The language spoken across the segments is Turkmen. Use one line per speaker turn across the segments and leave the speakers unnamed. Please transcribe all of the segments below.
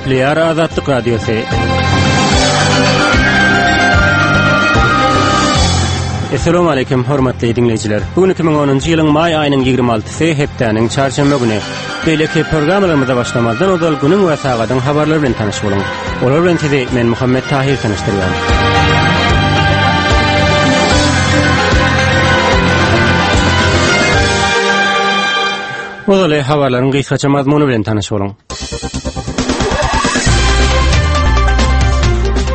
Gepleýär Azatlyk Radiosy. Essalamu aleýkum hormatly diňleýjiler. Bu gün 2010-njy ýylyň maý aýynyň 26-sy hepdäniň çarşenbe güni. Beýleki programmalarymyza başlamazdan ozal günüň we sagadyň habarlary bilen tanyş boluň. Olar bilen sizi men Muhammet Tahir tanyşdyrýan. Ozaly habarlaryň gysgaça mazmuny bilen tanyş boluň.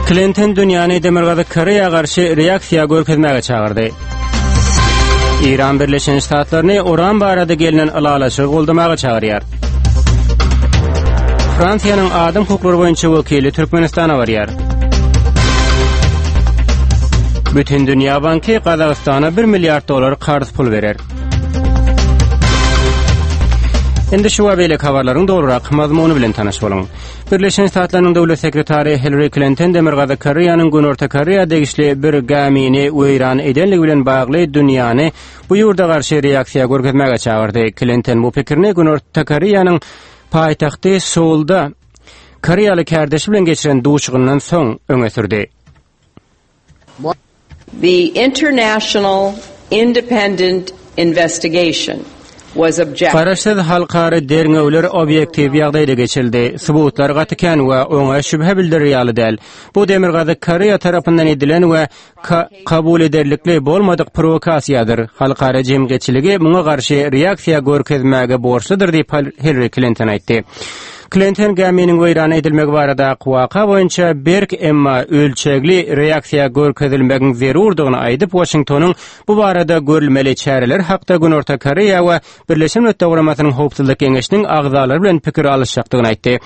Klinton dünýäni Demirgazyk Koreýa garşy reaksiýa görkezmäge çagyrdy. Eýran Birleşen Ştatlaryny uran barada gelnen ylalaşygy goldamaga çagyrýar. Fransiýanyň adam hukuklary boýunça wekili Türkmenistana barýar. Bütindünýä banky Gazagystana 1 milliard dollar karz pul berer. Indi şu we beýleki habarlaryň dolurak mazmuny bilen tanyş boluň. Birleşen Ştatlarynyň döwlet sekretary Hillary Klinton Demirgazyk Koreýanyň Günorta Koreýa degişli bir gämini weýran edenligi bilen bagly dünýäni bu ýurda garşy reaksiýa görkezmäge çagyrdy. Klinton bu pikirini Günorta Koreýanyň paýtagty Seulda koreýaly kärdeşi bilen geçiren duşuşygyndan soň öňe sürdi.
The international independent investigation was objective.
Garaşsyz halkara derňewler obýektiw ýagdaýda geçirildi. Subutlar gaty kän we oňa şübhe bildirer ýaly däl. Bu Demirgazyk Koreýa tarapyndan edilen we kabul ederlikli bolmadyk prowokasiýadyr. Halkara jemgyýetçiligi muňa garşy reaksiýa görkezmäge borçludyr diýip, Hillari Klinton aýtdy. Klinton gäminiň weýran edilmegi baradaky waka boýunça berk, emma ölçegli reaksiýa görkezilmegiň zerurdygyny aýdyp, Waşingtonyň bu barada görülmeli çäreler hakda Günorta Koreýa we Birleşen Milletler Guramasynyň Howpsuzlyk Geňeşiniň agzalary bilen pikir alyşjakdygyny aýtdy.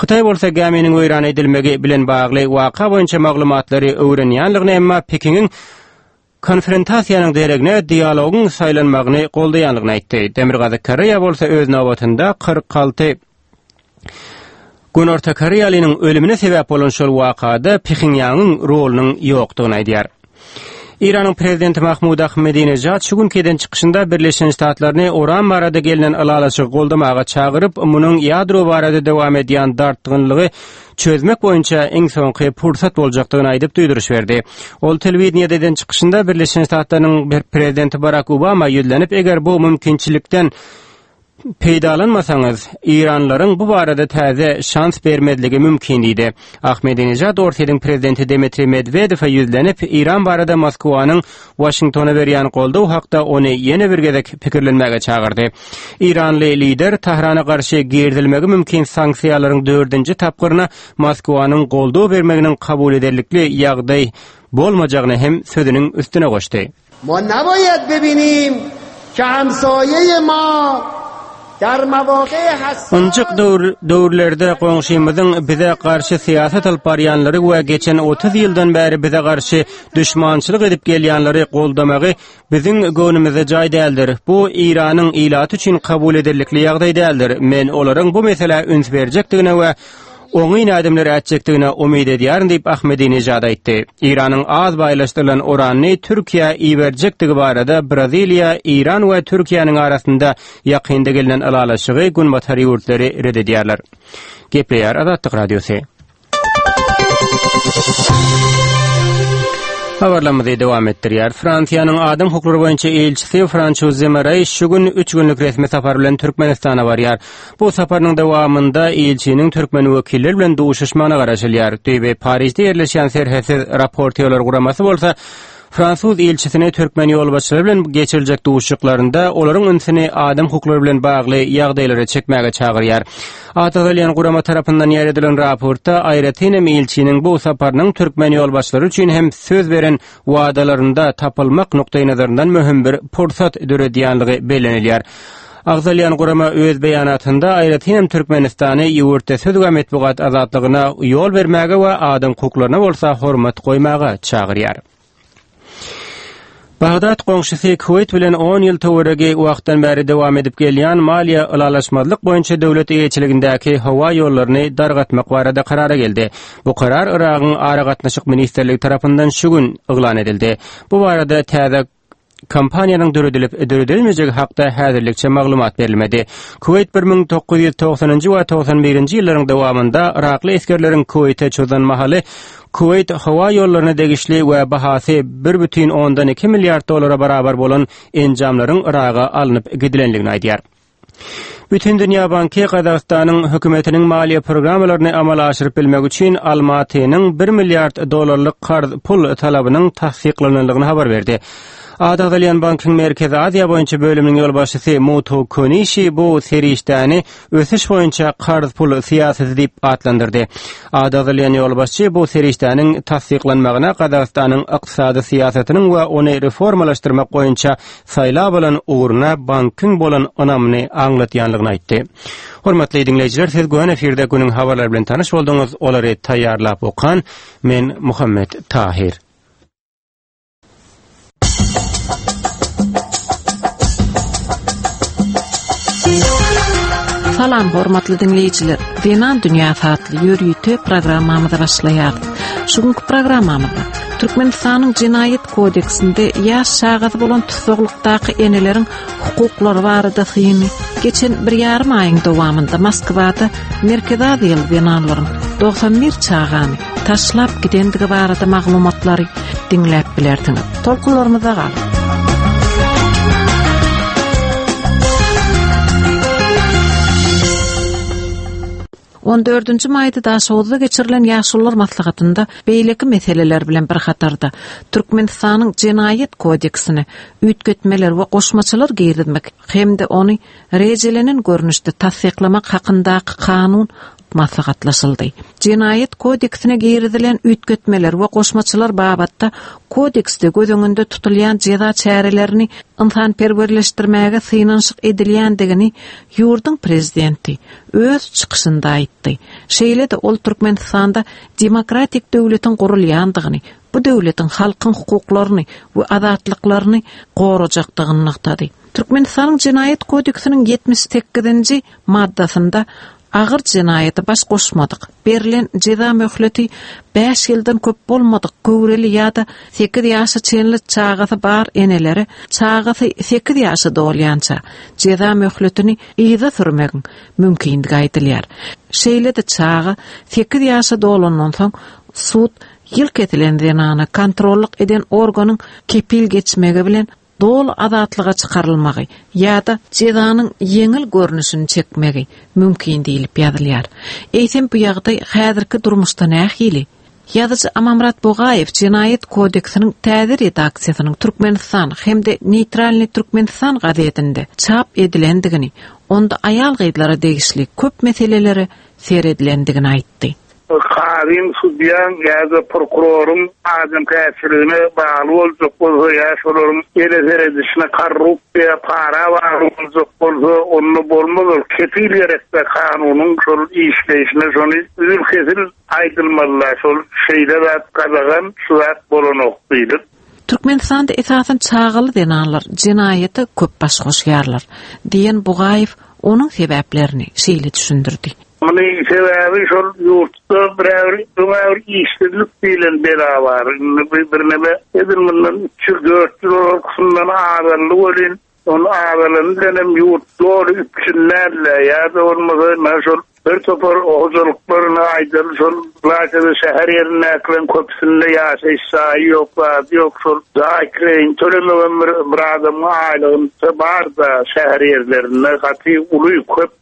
Hytaý bolsa gäminiň weýran edilmegi bilen bagly waka boýunça maglumatlary öwrenýänligini, emma Pekiniň Konfrontasiýanyň deregine dialogyň saýlanmagyny goldaýandygyny aýtdy. Demirgazyk Koreýa bolsa öz nobatynda 46 Günorta koreýalynyň ölümine sebäp bolan şol wakada Phenýangyň rolunyň ýokdugyny aýdýar. Eýranyň prezidenti Mahmud Ahmedinejad şu günki eden çykyşynda Birleşen Ştatlaryny uran barada gelnen ylalaşygy goldamaga çagyryp, munuň ýadro barada dowam edýän dartgynlygy çözmek boýunça iň soňky pursat boljakdygyny aýdyp duýduryş berdi. Ol telewideniýede eden çykyşynda Birleşen Ştatlarynyň prezidenti Barak Obama ýüzlenip, eger bu mümkinçilikden peýdalanmasaňyz, eýranlylaryň bu barada täze şans bermezligi mümkin diýdi. Ahmedinejad Orsýetiň prezidenti Dmitriý Medwedewe ýüzlenip, Eýran barada Moskwanyň Waşingtona berýän goldaw hakda ony ýene bir gezek pikirlenmäge çagyrdy. Eýranly lider Tahrana garşy girizilmegi mümkin sanksiýalaryň dördünji tapgyryna Moskwanyň goldaw bermeginiň kabul ederlikli ýagdaý bolmajagyny hem sözüniň üstüne goşdy.
Ma nabayad bebinim ke hamsaye ma dar mawaqe hassas.
Ynjyk döwürlerde goňşymyzyň bize garşy syýasat alyp barýanlary we geçen 30 ýyldan bäri bize garşy duşmançylyk edip gelýänleri goldamagy biziň göwnümize jaý däldir. Bu Eýranyň ilaty üçin kabul ederlikli ýagdaý däldir. Men olaryň bu meselä üns berjekdigine we oňyn ädimler ätjekdigine umyt edýärin diýip, Ahmedinejad aýtdy. Eýranyň az baýlaşdyrylan uranyny Türkiýä iberjekdigi barada Braziliýa, Eýran we Türkiýäniň arasynda ýakynda gelnen ylalaşygy günbatar ýurtlary ret edýärler. Gepleýär Azatlyk Radiosy. Habarlarymyzy dowam etdirýär. Fransiýanyň adam hukuklary boýunça ilçisi François Zemareý şu gün üç günlük resmi sapar bilen Türkmenistana barýar. Bu saparynyň dowamynda ilçiniň türkmen wekilleri bilen duşuşmagyna garaşylýar. Düýbi Parižde ýerleşýän Serhetsiz raportýorlar guramasy bolsa Fransuz ilçisini türkmen ýolbaşçylary bilen geçiriljek duşuşyklarynda olaryň ünsüni adam hukuklary bilen bagly ýagdaýlara çekmäge çagyrýar. Ady agzalýan gurama tarapyndan ýaýradylan raportda aýratyn hem ilçiniň bu saparynyň türkmen ýolbaşçylary üçin hem söz beren wadalarynda tapylmak nukdaýnazaryndan möhüm bir pursat döredýänligi bellenilýär. Agzalýan gurama öz beýanatynda aýratyn hem Türkmenistany ýurtda söz we metbugat azatlygyna ýol bermäge we adam hukuklaryna bolsa hormat goýmaga çagyrýar. Bagdat goňşusy Kuweýt bilen on ýyl töweregi wagtdan bäri dowam edip gelýän maliýe ylalaşmazlyk boýunça döwlet eýeçiligindäki howa ýollaryny dargatmak barada karara geldi. Bu karar Yragyň Aragatnaşyk ministrligi tarapyndan şu gün yglan edildi. Bu barada täze. Kompaniýanyň döredilip, döredilmejegi hakda häzirlikçe maglumat berilmedi. Kuweýt 1990-njy we 91-nji ýyllaryň dowamynda yrakly esgerleriň Kuweýte çozan mahaly Kuweýt howa ýollaryna degişli we bahasy 1,2 milliard dollara barabar bolan enjamlaryň Yraga alnyp gidilendigini aýdýar. Bütindünýä banky Gazagystanyň hökümetiniň maliýe programmalaryny amala aşyryp bilmek üçin Almatynyň bir milliard dollarlyk karz pul talabynyň tassyklanandygyny habar berdi. Ady agzalýan bankyň Merkezi Aziýa boýunça bölüminiň ýolbaşçysy Muto Konişi bu serişdäni ösüş boýunça karz pul syýasaty diýip atlandyrdy. Ady agzalýan ýolbaşçy bu serişdäniň tassyklanmagyna Gazagystanyň ykdysady syýasatynyň we ony reformalaşdyrmak boýunça saýlap alan ugruna bankyň bolan ynamyny aňlatýanlygyny aýtdy. Hormatly diňleýjiler, siz göni efirde günüň habarlary bilen tanyş bolduňyz, olary taýýarlap okan men Muhammet Tahyr.
Salam hormatly diňleýjiler. Zenan dünýäsi atly ýörite programmamyza başlaýarys. Şu günki programmamyzda Türkmenistanyň Jenaýat kodeksinde ýaş çagasy bolan tussaglykdaky eneleriň hukuklary barada syny geçen bir ýarym aýyň dowamynda Moskwada Merkezi Aziýaly zenanlaryň 91 çagany taşlap gidendigi barada maglumatlary diňläp bilersiňiz. Tolkunlarymyzda galyň. On dördünji maýda Daşoguzda geçirilen Ýaşulular maslahatynda beýleki meseleler bilen bir hatarda, Türkmenistanyň Jenaýat kodeksine üýtgetmeler we goşmaçalar girizmek hem-de ony rejelenen görnüşde tassyklamak hakyndaky kanun maslahatlaşyldy. Jenaýat kodeksine girizilen üýtgetmeler we goşmaçalar babatda kodeksde göz öňünde tutulýan jeza çärelerini ynsanperwerleşdirmäge synanyşyk edilýändigini ýurduň prezidenti öz çykyşynda aýtdy. Şeýle-de ol Türkmenistanda demokratik döwletiň gurulýandygyny, bu döwletiň halkyň hukuklaryny we azatlyklaryny gorajakdygyny nygtady. Türkmenistanyň Jenaýat kodeksiniň 78-nji maddasynda agyr jenaýata baş goşmadyk, berlen jeza möhleti bäş ýyldan köp bolmadyk göwreli ýa-da sekiz ýaşa çenli çagasy bar enelere çagasy sekiz ýaşa dolýança jeza möhletini yza sürmegiň mümkindigi aýdylýar. Şeýle-de çaga sekiz ýaşa dolandan soň sud ýyl kesilen zenana kontrollyk eden organyň kepil geçmegi bilen doly azatlyga çykarylmagy ýa-da jezanyň ýeňil görnüşini çekmegi mümkin diýlip ýazylýar. Eýsem bu ýagdaý häzirki durmuşda nähili? Ýazyjy Amanmyrat Bugaýew Jenaýat kodeksiniň täze redaksiýasynyň Türkmenistan hem-de Neýtralnyý Türkmenistan gazetinde çap edilendigini, onda aýal-gyzlara degişli köp meselelere seredilendigini aýtdy.
Kazyň, sudýaň ýa-da prokuroryň adamkärçiligine bagly boljak bolsa ýa şolaryň ele seredişine korrupsiýa, para bagly boljak bolsa, onda bolmaz ol. Kepil gerekdä kanunyň şol işleýşine şony üzül-kesil aýdylmalyda şol şeýle zat gadagan, şu zat bolanok diýlip.
Türkmenistanda esasan çagaly zenanlar jenaýata köp baş goşýarlar, diýen Bugaýew onuň sebäplerini şeýle düşündirdi.
Munuň sebäbi şol ýurtda bir-ä bir öň-ä bir işsizlik diýlen bela bar. Indi bu birneme edil mundan üç ýyl, dört ýyl ozalkysyndan azaldy welin, ol azalany bilenem ýurt doly üpjün däl-de, ýa-da bolmasa ynha şol bir topar hojalyklar ynha aýdaly şol ylaýta-da şäher ýerindäkileriň köpüsinde ýaşaýyş jaýy ýok, zady ýok, şol jaý kireýini tölemegem bir bir adamyň aýlygynda bar-da şäher ýerlerinde gaty uly köp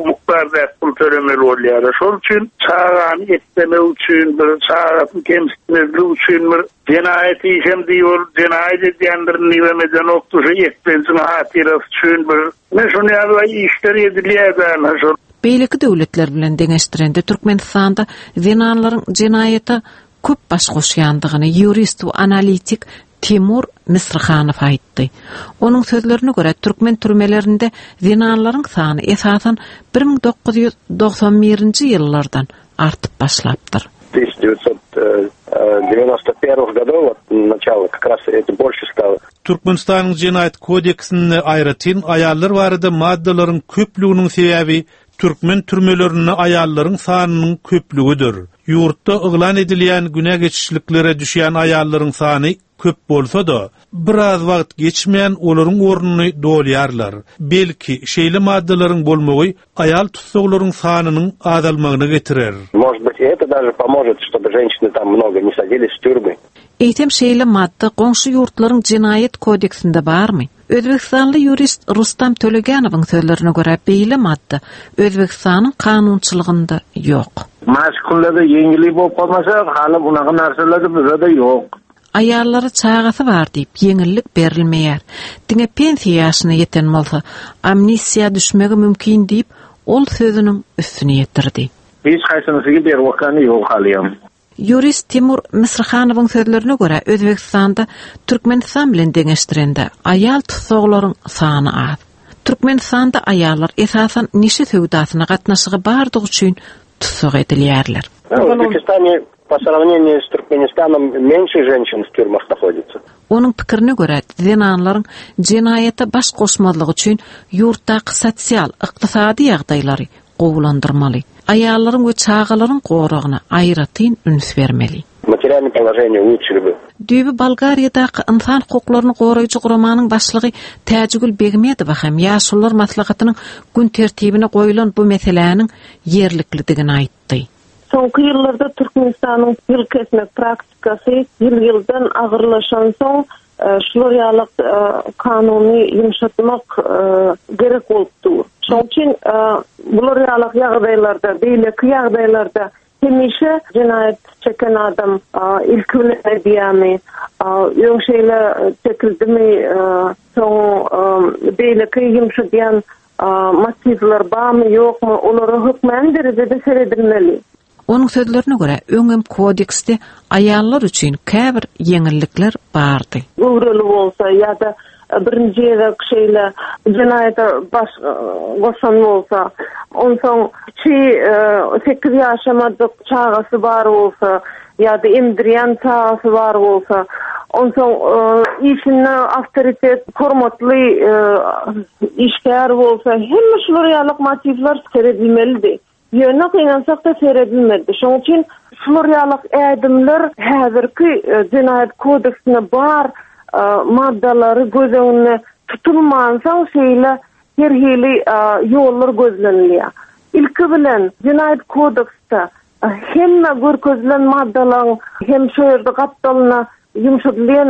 mukdarda pul tölemeli bolýarlar. Şol üçin çagany eklemek üçin bir çagasyny kemsitmezlik üçin bir jenaýat işem diýip ol jenaýat edýändirin diýibem edenokdy şu eklenjiň hatyrasy üçin bir ine şuny ýaly işler edilýär-dä ynha şol.
Beýleki döwletler bilen deňeşdirende Türkmenistanda zenanlaryň jenaýata köp baş goşýandygyny ýurist we analitik Timur Misrihanow aýtdy. Onuň sözlerine görä, türkmen türmelerinde zenanlaryň sany esasan 1991-nji ýyllardan artyp başlapdyr.
1991 годов, вот начало, как раз это больше стало.
Türkmenistanyň Jenaýat kodeksinde aýratyn aýallar barada maddalaryň köplüginiň sebäbi türkmen türmelerinde aýallaryň sanynyň köplügidir. Ýurtda yglan edilýän günä geçişliklere düşýän aýallaryň sany. köp bolsa-da, biraz wagt geçmän olaryň ornuny dolýarlar. Belki, şeýle maddalaryň bolmagy aýal tussaglaryň sanynyň azalmagyna getirer.
Может быть, это даже поможет, чтобы женщины там много не садились в тюрьмы.
Eýsem şeýle madda goňşy ýurtlaryň jenaýat kodeksinde barmy? Özbegistanly ýurist Rustam Tölegenowyň sözlerine görä beýle madda Özbegistanyň kanunçylygynda ýok.
Maşkullarda ýeňillik bolup galmasa, hali bunaga narsalarda bizede ýok.
Aýallara çagasy bar diýip ýeňillik berilmeýär. Diňe pensiýa ýaşyna ýeten bolsa, amnistiýa düşmegi mümkin diýip, ol sözüniň üstüni ýetirdi.
Hiç haýsynysygy berwakany ýok halyam.
Ýurist Timur Misrihanowyň sözlerine görä, Özbegistanda Türkmenistan bilen deňeşdirende, aýal tussaglaryň sany az. Türkmenistanda aýallar esasan neşe söwdasyna gatnaşygy bardygy üçin tussag edilýärler.
В Узбекистане по сравнению с Туркменистаном меньше женщин в тюрьмах находится.
Onuň pikirine görä, zenanlaryň jenaýata baş goşmazlygy üçin ýurtdaky sosial, ykdysady ýagdaýlary gowulandyrmaly. Aýallaryň we çagalaryň goragyna aýratyn üns bermeli.
Materialnyý položeniýe ulutşili by.
Düýbi Bolgariýadaky ynsan hukuklaryny goraýjy guramanyň başlygy Täjigül Begmedowa hem Ýaşulular maslahatynyň gün tertibine goýlan bu meseläniň ýerliklidigini aýtdy.
Soňky ýyllarda Türkmenistanyň ýyl kesmek praktikasy ýyl-ýyldan agyrlaşansoň, şular ýaly kanuny ýumşatmak gerek bolup dur. Şonuň üçin bular ýaly ýagdaýlarda, beýleki ýagdaýlarda hemişe jenaýat çeken adam ilki bilen edýärmi, öň şeýle çekildimi, soň beýleki ýumşadýan Motiwler barmy, ýokmy, olara hökmany derejede seredilmeli.
Onuň sözlerine görä, öňem kodeksde aýallar üçin käbir ýeňillikler bardy.
Göwreli bolsa ýa-da birinji gezek şeýle jenaýata baş goşan bolsa, onsoň kiçi sekiz ýaşamadyk çagasy bar bolsa ýa-da emdirýän çagasy bar bolsa, onsoň işinde awtoritet, hormatly işgär bolsa, hemme şular ýaly motiwler seredilmelidi. Ýöne gynansak-da seredilmedi. Şonuň üçin şular ýaly ädimler häzirki Jenaýat kodeksinde bar maddalary göz öňünde tutulmansoň şeýle her hili ýollar gözlenilýär. Ilki bilen Jenaýat kodeksde hemme görkezilen maddalaryň hem şo ýerde gapdalyna ýumşadylýan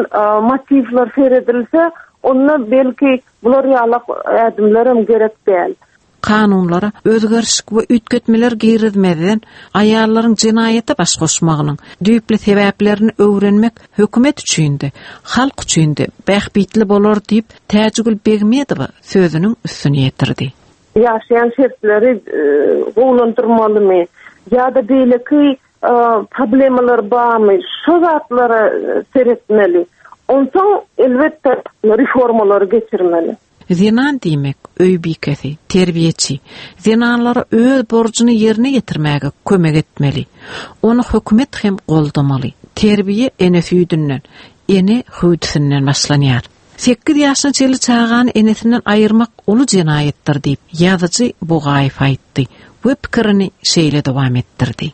motiwler seredilse, onda belki bular ýaly ädimlerem gerek däl.
Kanunlara özgerişik we üýtgetmeler girizmezden, aýallaryň jenaýata baş goşmagynyň düýpli sebäplerini öwrenmek hökümet üçin-de, halk üçin-de bähbitli bolar diýip, Täjigül Begmedowa sözüniň üstüni ýetirdi.
Ýaşaýan şertleri gowulandyrmalymy ýa-da beýleki problemalar barmy, şo zatlara seretmeli. Onsoň, elbetde, reformalary geçirmeli.
Zenan diýmek, öý bikesi, terbiýeçi. Zenanlara öz borjuny ýerine ýetirmäge kömek etmeli. Ony hökümet hem goldamaly. Terbiýe ene süýdünden, ene hüwdüsinden başlanýar. Sekiz ýaşyna çenli çagany enesinden aýyrmak uly jenaýatdyr diýip, ýazyjy Bugaýew aýtdy we pikirini şeýle dowam etdirdi.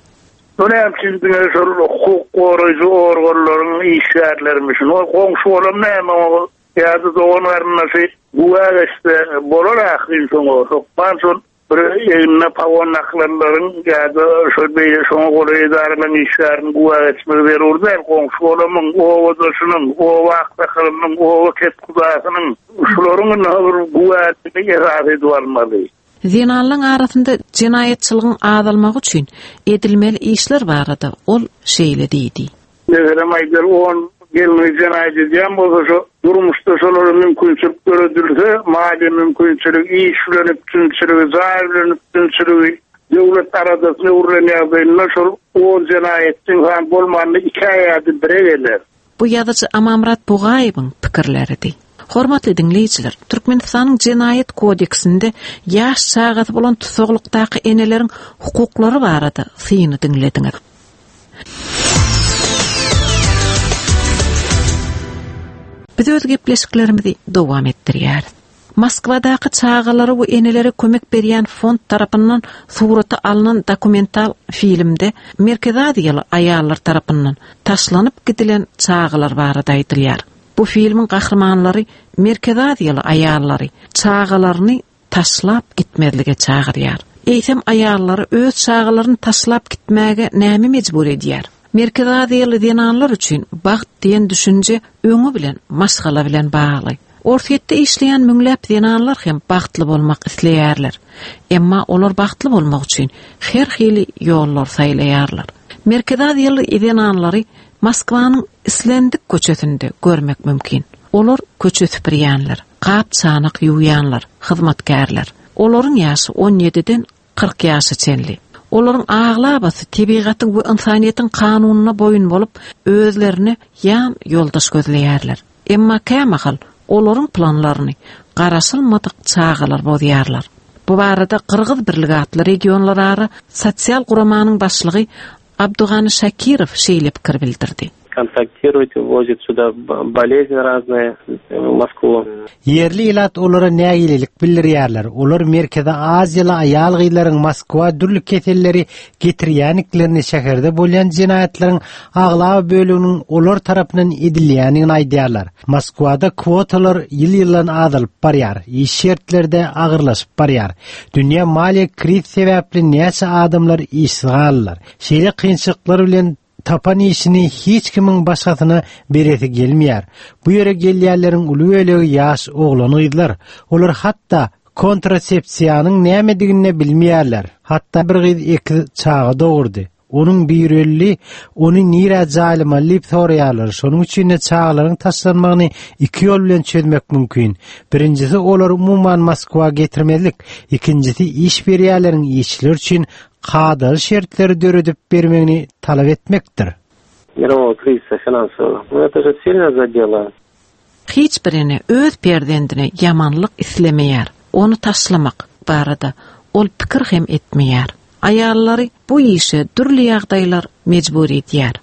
Bu näme üçin diňe şol hukuk goraýjy organlaryň işgärlerimişin? Ol goňşy bolan näme oňa ýa-da dogan-garyndaşy güwä geçse bolar ahyryn şoňa hökman şol bir egnine pagon dakylanlaryň ýa-da şol beýle şoňa golaý edaralaryň işgäriniň güwä geçmegi zerur däl. Goňşy-golamyň, obadaşynyň, oba aksakalynyň, oba kethudasynyň şularyň indi bir güwäligini esas edip almaly.
Zenanlaryň arasynda jenaýatçylygyň azalmagy üçin edilmeli işler barada ol şeýle diýdi.
Meselem aýdaly on gelni jenaýat edýän bolsa şo durmuşda şolara mümkinçilik döredilse, maliýe mümkinçiligi, iş bilen üpjünçiligi, jaý bilen üpjünçiligi, döwlet aladasyna öwrülen ýagdaýynda şol on jenaýatçy ynsan bolmanda ikä ýa-da bire geler.
Bu ýazyjy Amanmyrat Bugaýewiň pikirleridi. Hormatly diňleýjiler, Türkmenistanyň Jenaýat kodeksinde ýaş çagasy bolan tussaglykdaky eneleriň hukuklary barada syny diňlediňiz. Biz öz gepleşiklerimizi dowam etdirýäris. Moskwadaky çagalara we enelere kömek berýän fond tarapyndan surata alnan dokumental filmde Merkezi Aziýaly aýallar tarapyndan taşlanyp gidilen çagalar barada aýdylýar. Bu filmiň gahrymanlary Merkezi Aziýaly aýallary çagalaryny taşlap gitmezlige çagyrýar. Eýsem aýallary öz çagalaryny taşlap gitmäge näme mejbur edýär? Merkezi Aziýaly zenanlar üçin bagt diýen düşünje öňi bilen maşgala bilen bagly. Orsýetde işleýän müňläp zenanlar hem bagtly bolmak isleýärler. Emma olar bagtly bolmak üçin her hili ýollar saýlaýarlar. Merkezi Aziýaly zenanlary Moskwanyň islendik köçesinde görmek mümkin. Olar köçe süpürýänler, gap-çanak ýuwýanlar, hyzmatkärler. Olaryň ýaşy on ýediden 40 ýaşa çenli. Olaryň aglabasy tebigatyň we ynsanyýetiň kanunyna boýun bolup, özlerine ýan ýoldaş gözleýärler. Emma kämahal olaryň planlaryny garaşylmadyk çagalar bozýarlar. Bu barada Gyrgyz birligi atly regionlarara sosial guramanyň başlygy Abdugany Şakirow şeýle pikir bildirdi.
Kontaktiruýt, wozit suda bolezni raznyýe w Moskwu.
Ýerli ilat olara nägilelik bildirýärler. Olar Merkezi Aziýaly aýal-gyzlaryň Moskwa dürli keselleri getirýäniklerini, şäherde bolýan jenaýatlaryň aglaba böleginiň olar tarapyndan edilýändigini aýdýarlar. Moskwada kwotalar ýyl-ýyldan azalyp barýar, iş şertleri-de agyrlaşyp barýar. Dünýä maliýe kriz sebäpli näçe adamlar işsiz galdylar. Şeýle kynçylyklar bilen Tapan işini hiç kimiň başgasyna beresi gelmeýär. Bu ýere gelýänleriň uly bölegi ýaş oglan-gyzlar. Olar hatda kontrasepsiýanyň nämedigini-de bilmeýärler. Hatda bir gyz ekiz çaga dogurdy. Onuň biri öldi, ony nirä jaýlamaly diýip soraýarlar. Şonuň üçin-de çagalaryň taşlanmagyny iki ýol bilen çözmek mümkin. Birinjisi olary umuman Moskwa getirmezlik, ikinjisi iş berýänleriň işçiler üçin kadaly şertleri döredip bermegini talap etmekdir.
Mirowogo krizisa finansowogo. Nu eto že silno zadelo.
Hiç bir ene öz perzendine ýamanlyk islemeýär, ony taşlamak barada ol pikir hem etmeýär. Aýallary bu işe dürli ýagdaýlar mejbur edýär.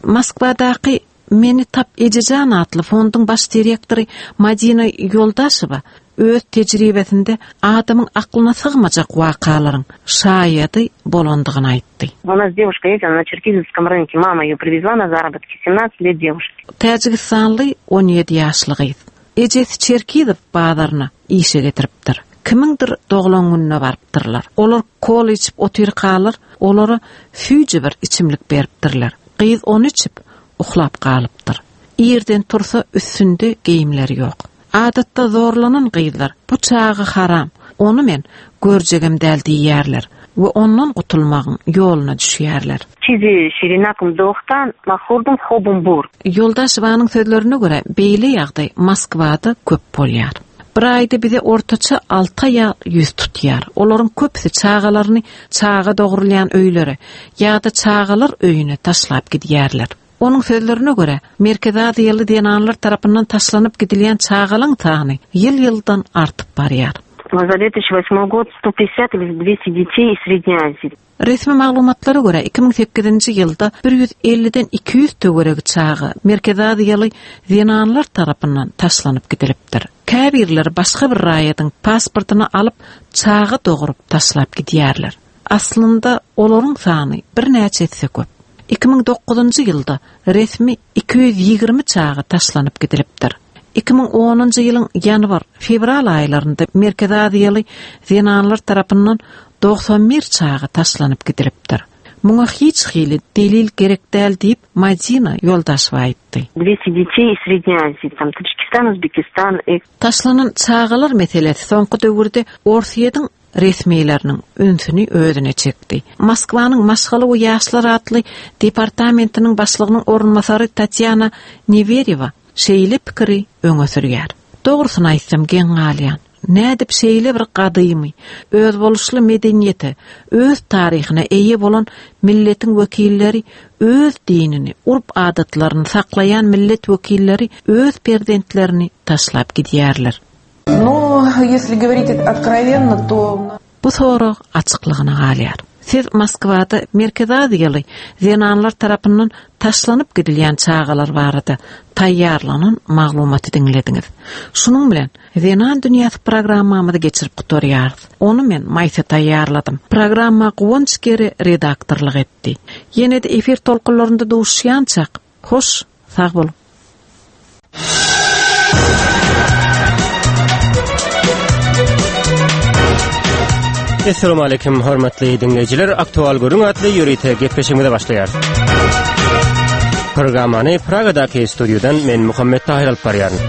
Moskwadaky Meni tap ejejan atly fonduň baş direktory Madina Ýoldaşowa öz tejribesinde adamyň aklyna sygmajak wakalaryň şaýady bolandygyny aýtdy.
U nas dewuşka ýest, ona na Çerkizowskom rynke, mama ýe priwezla na zarabotki, semnadset let dewuşke.
Täjigistanly 17 ýaşly gyz. Ejesi Çerkizow bazaryna işe getiripdir. Kimiňdir doglan gününe barypdyrlar. Olar kola içip otyrkalar, olara süýji bir içimlik beripdirler. Gyz ony içip, uklap galypdyr. Irden tursa üstünde geýimleri ýok. Adatda zorlanan gyzlar bu çaga haram, ony men görjegem däl diýýärler we ondan gutulmagyň ýoluna düşýärler.
Çizi şirinakm dohtan mahurdum hobum bur.
Ýoldaşewanyň sözlerine görä, beýle ýagdaý Moskwada köp bolýar. Bir aýda bize ortaça alty aýal ýüz tutýar. Olaryň köpüsi çagalaryny çaga dogrulýan öýlere ýa-da çagalar öýüne taşlap gidýärler. Onuň sözlerine görä, Merkezi Aziýaly zenanlar tarapyndan taşlanyp gidilýän çagalaň sany ýyl-ýyldan artyp barýar.
Za dve tysячи восьмой год sto pýatdesýat ili dwesti detey iz Sredney Azii.
Resmi maglumatlara görä, 2008-nji ýylda bir ýüz elliden 200 töweregi çaga Merkezi Aziýaly zenanlar tarapyndan taşlanyp gidilipdir. Käbirleri başga bir raýadyň pasportyny alyp, çaga dogrup taşlap gidýärler. Aslynda olaryň sany birnäçe esse köp. 2009-njy ýylda resmi 220 çaga taşlanyp gidilipdir. 2010-njy ýylyň ýanwar, fewral aýlarynda Merkezi Aziýaly zenanlar tarapyndan 91 çaga taşlanyp gidilipdir. Muňa hiç hili delil gerek däl diýip, Madina Ýoldaşewa aýtdy.
200 detey iz Sredney Azii, tam Tadjikistan, Uzbekistan i.
Taşlanan çagalar meselesi soňky döwürde Orsýetiň resmileriniň ünsüni özüne çekdi. Moskwanyň Maşgala we ýaşlar atly departamentiniň başlygynyň orunbasary Tatýana Newerýewa şeýle pikiri öňe sürýär. Dogrusyny aýtsam geň galýan. Nädip şeýle bir gadymy, özboluşly medeniýete, öz taryhyna eýe bolan milletiň wekilleri öz dinini, urp-adatlaryny saklaýan millet wekilleri öz perzentlerini taşlap gidýärler?
Nu, ýesli goworit otkrowenno, to.
Bu sorag açyklygyna galýar. Siz Moskwada Merkezi Aziýaly zenanlar tarapyndan taşlanyp gidilýän çagalar barada taýýarlanan maglumaty diňlediňiz. Şunuň bilen Zenan dünýäsi programmamyzy geçirip gutarýarys. Ony men Maýsa taýýarladym. Programma Guwanç Geri redaktorlyk etdi. Ýene-de efir tolkunlarynda duşuşýançak, hoş, sag boluň!
Essalamu aleýkum hormatly diňleýjiler. Aktual gürrüň atly ýörite gepleşigimize başlaýarys. Programmany Pragadaky studiýadan men Muhammet Tahir alyp barýaryn.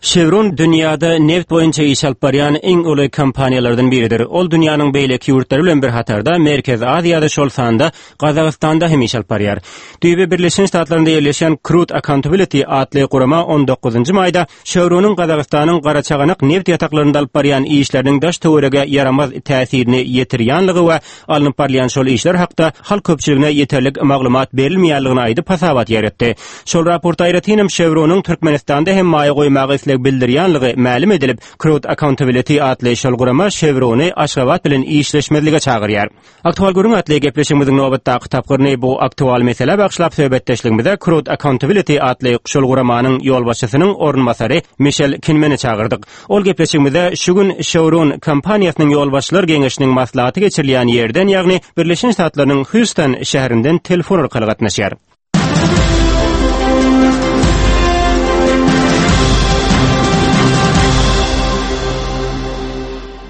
Chevron dünýäde neft boýunça iş alyp barýan iň uly kompaniýalardan biridir. Ol dünýäniň beýleki ýurtlary bilen bir hatarda Merkezi Aziýada, şol sanda Gazagystanda hem iş alyp barýar. Düýbi Birleşen Ştatlarynda ýerleşýän Crude Accountability atly gurama 19-njy maýda Chevronyň Gazagystanyň Garaçaganak neft ýataklarynda alyp barýan işleriniň daş-töwerege ýaramaz täsirini ýetirýänligi we alnyp barylýan şol işler hakda halk köpçüligine ýeterlik maglumat berilmeýänligini aýdyp hasabat ýaýratdy. Şol raportda aýratynam Chevronyň Türkmenistanda hem maýa goýmaga isleg bildirýänligi mälim edilip, Crude Accountability atly şol gurama Chevrony Aşgabat bilen işleşmezlige çagyrýar. Aktual gürrüň atly gepleşigimiziň nobatdaky tapgyryny bu aktual meselä bagyşlap söhbetdeşligimize Crude Accountability atly şol guramanyň ýolbaşçysynyň orunbasary Mişel Kinmeni çagyrdyk. Ol gepleşigimize şu gün Chevron kompaniýasynyň ýolbaşçylar geňeşiniň maslahaty geçirilýän ýerden ýagny Birleşen Ştatlarynyň Hýuston şäherinden telefon arkaly gatnaşýar.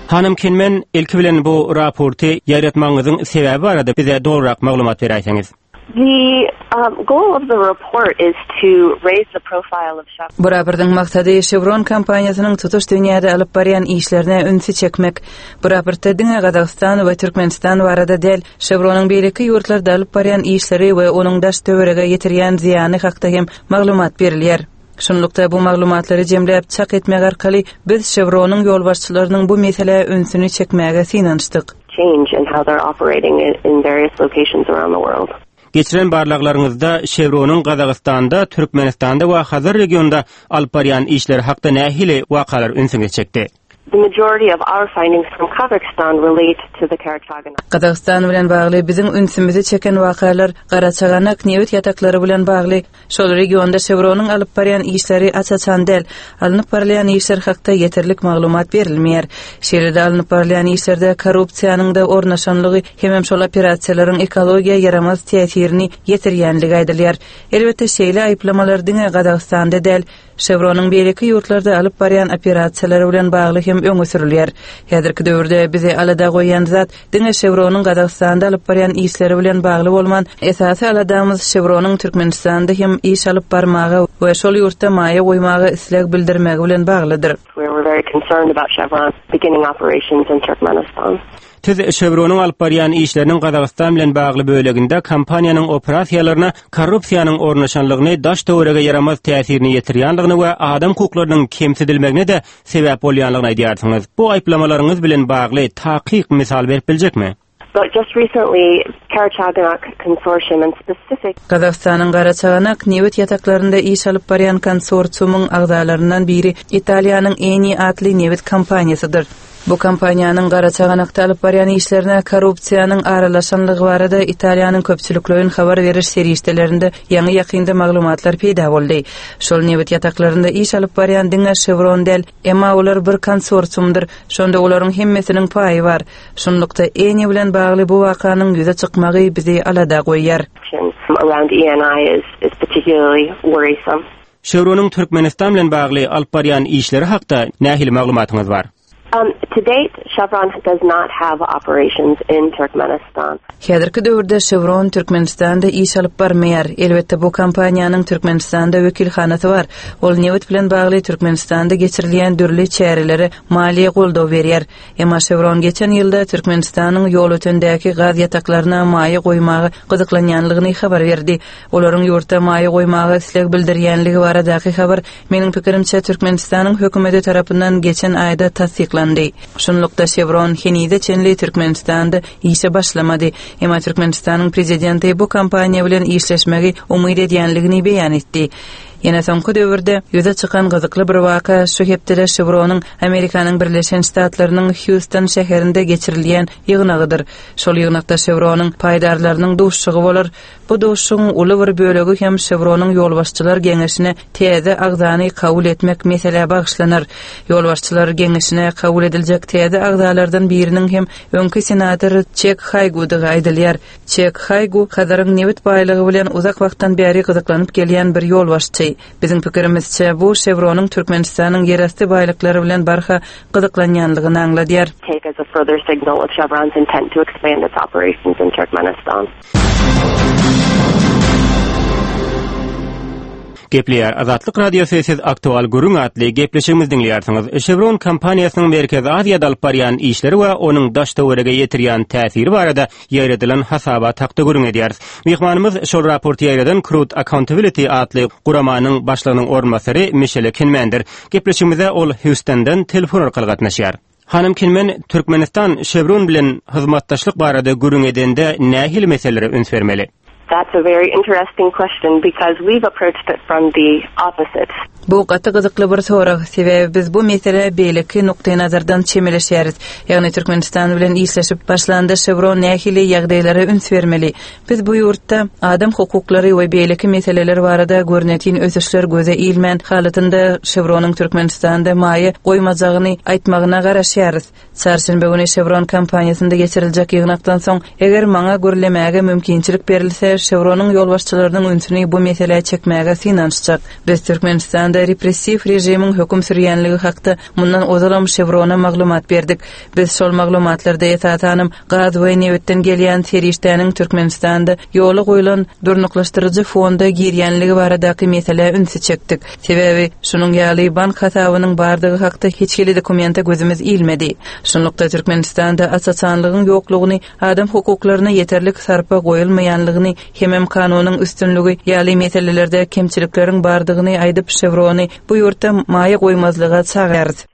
Hanym Kinmen, ilki bilen bu raporty ýaýratmagyňyzyň sebäbi barada bize dolurak maglumat beräýseňiz.
The um, goal of the report is to raise the profile of Chevron.
Bu raportyň maksady Chevron kompaniýasynyň tutuş dünýäde alyp barýan işlerine ünsi çekmek. Bu raportda diňe Gazagystan we Türkmenistan barada däl, Chevron-yň beýleki ýurtlarda alyp barýan işleri we onuň daş-töwerege ýetirýän zyýany hakda hem maglumat berilýär. Şunlukda, bu maglumatlary jemläp, çak etmek arkaly biz Chevron-yň ýolbaşçylarynyň bu meselä ünsüni çekmäge synanyşdyk.
change in how they're operating in various locations around the world.
Geçiren barlaglaryňyzda Chevron-yň Gazagystanda, Türkmenistanda we Hazar regionynda alyp barýan işleri hakda nähili wakalar ünsüňizi çekdi?
The majority of our findings from Kazakhstan relate to the Karachaganak.
Gazagystan bilen bagly biziň ünsümizi çeken wakalar Garaçaganak nebit ýataklary bilen bagly. Şol regionda Chevron-yň alyp barýan işleri aç-açan däl. Alnyp barylýan işler hakda ýeterlik maglumat berilmeýär. Şeýle-de alnyp barylýan işlerde korrupsiýanyň-da ornaşanlygy hemem şol operasiýalaryň ekologiýa ýaramaz täsirini ýetirýänligi aýdylýar. Elbetde, şeýle aýyplamalar diňe Gazagystanda däl, Chevron-yň beýleki ýurtlarda alyp barýan operasiýalary bilen bagly hem öňe sürülýär. Häzirki döwürde bizi alada goýýan zat diňe Chevron-yň Gazagystanda alyp barýan işleri bilen bagly bolman, esasy aladamyz Chevron-yň Türkmenistanda hem iş alyp barmaga we şol ýurtda maýa goýmaga isleg bildirmegi bilen baglydyr.
We were very concerned about Chevron beginning operations in Turkmenistan.
Siz Chevron-yň alyp barýan işleriniň Gazagystan bilen bagly böleginde kompaniýanyň operasiýalaryna korrupsiýanyň ornaşanlygyny, daş-töwerege ýaramaz täsirini ýetirýänligini we adam hukuklarynyň kemsidilmegine-de sebäp bolýanlygyny aýdýarsyňyz. Bu aýyplamalaryňyz bilen bagly takyk mysal berip biljekmi?
But just recently, Karachaganak consortium and specific.
Gazagystanyň Garaçaganak nebit ýataklarynda iş alyp barýan konsorsiumyň agzalaryndan biri Italiýanyň Eni atly nebit kompaniýasydyr. Bu kompaniýanyň Garaçaganakda alyp barýan işlerine korrupsiýanyň aralaşanlygy barada Italiýanyň köpçülikleýin habar beriş serişdelerinde ýaňy-ýakynda maglumatlar peýda boldy. Şol nebit ýataklarynda iş alyp barýan diňe Chevron däl, emma olar bir konsorsiumdyr, şonda olaryň hemmesiniň paýy bar. Şunlukda, Eni bilen bagly bu wakanyň ýüze çykmagy bizi alada goýýar.
around ENI is is particularly worrisome.
Chevron-yň Türkmenistan bilen bagly alyp barýan işleri hakda nähili maglumatyňyz bar?
Um, to date, Chevron does not have operations in Turkmenistan.
Häzirki döwürde Chevron Türkmenistanda iş alyp barmaýar. Elbetde, bu kompaniýanyň Türkmenistanda wekilhanasy bar. Ol nebit bilen bagly Türkmenistanda geçirilýän dürli çärelere maliýe goldaw berýär. Emma Chevron geçen ýylda Türkmenistanyň Ýolötendäki gaz ýataklaryna maýa goýmaga gyzyklanýanlygyny habar berdi. Olaryň ýurtda maýa goýmaga isleg bildirýänligi baradaky habar, meniň pikirimçe, Türkmenistanyň hökümeti tarapyndan geçen aýda tassyklandy. Şunlukda, Chevron henize çenli Türkmenistanda işe başlamady. Emma Türkmenistanyň prezidenti bu kompaniýa bilen işleşmegi umyt edýänligini beýan etdi. Ýene soňky döwürde ýüze çykan gyzykly bir waka şu hepdede Şewronyň Amerikanyň Birleşen Ştatlarynyň Hýuston şäherinde geçirilýän ýygnagydyr. Şol ýygnakda Şewronyň paýdarlarynyň duşuşygy bolar. Bu duşuşygyň uly bir bölegi hem Şewronyň ýolbaşçylar geňeşine täze agzany kabul etmek meselä bagyşlanar. Ýolbaşçylar geňeşine kabul ediljek täze agzalardan biriniň hem öňki senator Çek Haýgudygy aýdylýar. Çek Haýgu Hazaryň nebit baýlygy bilen uzak wagtdan bäri gyzyklanyp gelýän bir ýolbaşçy. Biziň pikirimizçe, bu Şewronyň Türkmenistanyň ýerasty baýlyklary bilen barha gyzyklanýanlygyny aňladýar.
take as a further signal of Chevron's intent to expand its operations in Turkmenistan.
Gepleýär Azatlyk Radiosy siz Aktual gürrüň atly gepleşigimizi diňleýärsiňiz. Chevron kompaniýasynyň Merkezi Aziýada alyp barýan işleri we onuň daş-töwerege ýetirýän täsiri barada ýaýradylan hasabat hakda gürrüň edýäris. Myhmanymyz şol raporty ýaýradan Crude Accountability atly guramanyň başlygynyň orunbasary Mişele Kinmendir. Gepleşigimize ol Hýustondan telefon arkaly gatnaşýar. Hanym Kinmen, Türkmenistan Chevron bilen hyzmatdaşlyk barada gürrüň edende nähili meselelere üns bermeli?
That's a very interesting question because we've approached it from the opposite.
Bu gaty gyzykly bir sorag, sebäbi biz bu meselä beýleki nukdaýnazardan çemeleşýäris. Ýagny Türkmenistan bilen işleşip başlanda Chevron nähili ýagdaýlara üns bermeli? Biz bu ýurtda adam hukuklary we beýleki meseleler barada görnetin ösüşler göze ilmän halatynda Chevronyň Türkmenistanda maýa goýmajagyny aýtmagyna garaşýarys. Çarşenbe güni Chevron kompaniýasynda geçiriljek ýygnakdan soň, eger maňa gürlemäge mümkinçilik berilse, Chevronyň ýolbaşçylarynyň ünsüni bu meselä çekmäge synanyşjak. Biz Türkmenistanda repressiw režimiň höküm sürýänligi hakda mundan ozalam Chevrona maglumat berdik. Biz şol maglumatlarda esasanam gaz we nebitden gelýän serişdäniň Türkmenistanda ýola goýlan durnuklaşdyryjy fonda girýänligi baradaky meselä ünsi çekdik. Sebäbi, şunuň ýaly bank hasabynyň bardygy hakda hiç hili dokumente gözümiz ilmedi. Şunlukda, Türkmenistanda aç-açanlygyň ýoklugyny, adam hukuklaryna ýeterlik sarpa goýulmaýanlygyny hemem kanunyň üstünligi ýaly meselelerde kemçilikleriň bardygyny aýdyp, Şewrony bu ýurtda maýa goýmazlyga çagyrýarys.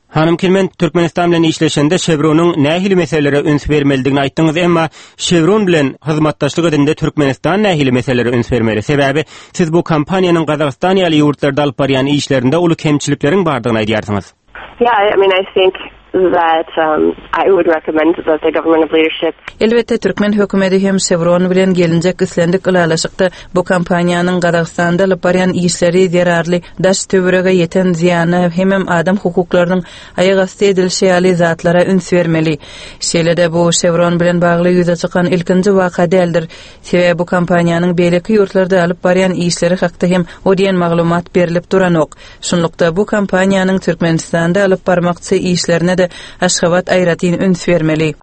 Hanym Kilmen, Türkmenistan bilen işleşende Şewronyň nähili meselelere üns bermelidigini aýtdyňyz, emma Şewron bilen hyzmatdaşlyk edende Türkmenistan nähili meselelere üns bermeli? Sebäbi siz bu kompaniýanyň Gazagystan ýaly ýurtlarda alyp barýan işlerinde uly kemçilikleriň bardygyny aýdýarsyňyz.
Yeah, I mean, I think that um, I would recommend that the government of leadership
Elbetde, türkmen hökümeti hem Chevron bilen gelinjek islendik ylalaşykda bu kompaniýanyň Gazagystanda alyp barýan işleri zerarly daş-töwerege ýeten zyýana hemem adam hukuklarynyň aýak asty edilişi ýaly zatlara üns bermeli. Şeýle-de bu Chevron bilen bagly ýüze çykan ilkinji waka däldir. Sebäbi bu kompaniýanyň beýleki ýurtlarda alyp barýan işleri hakda hem o diýen maglumat berlip duranok. Şunlukda, bu kompaniýanyň Türkmenistanda alyp barmakçy işlerine-de Aşgabat aýratyn üns bermeli.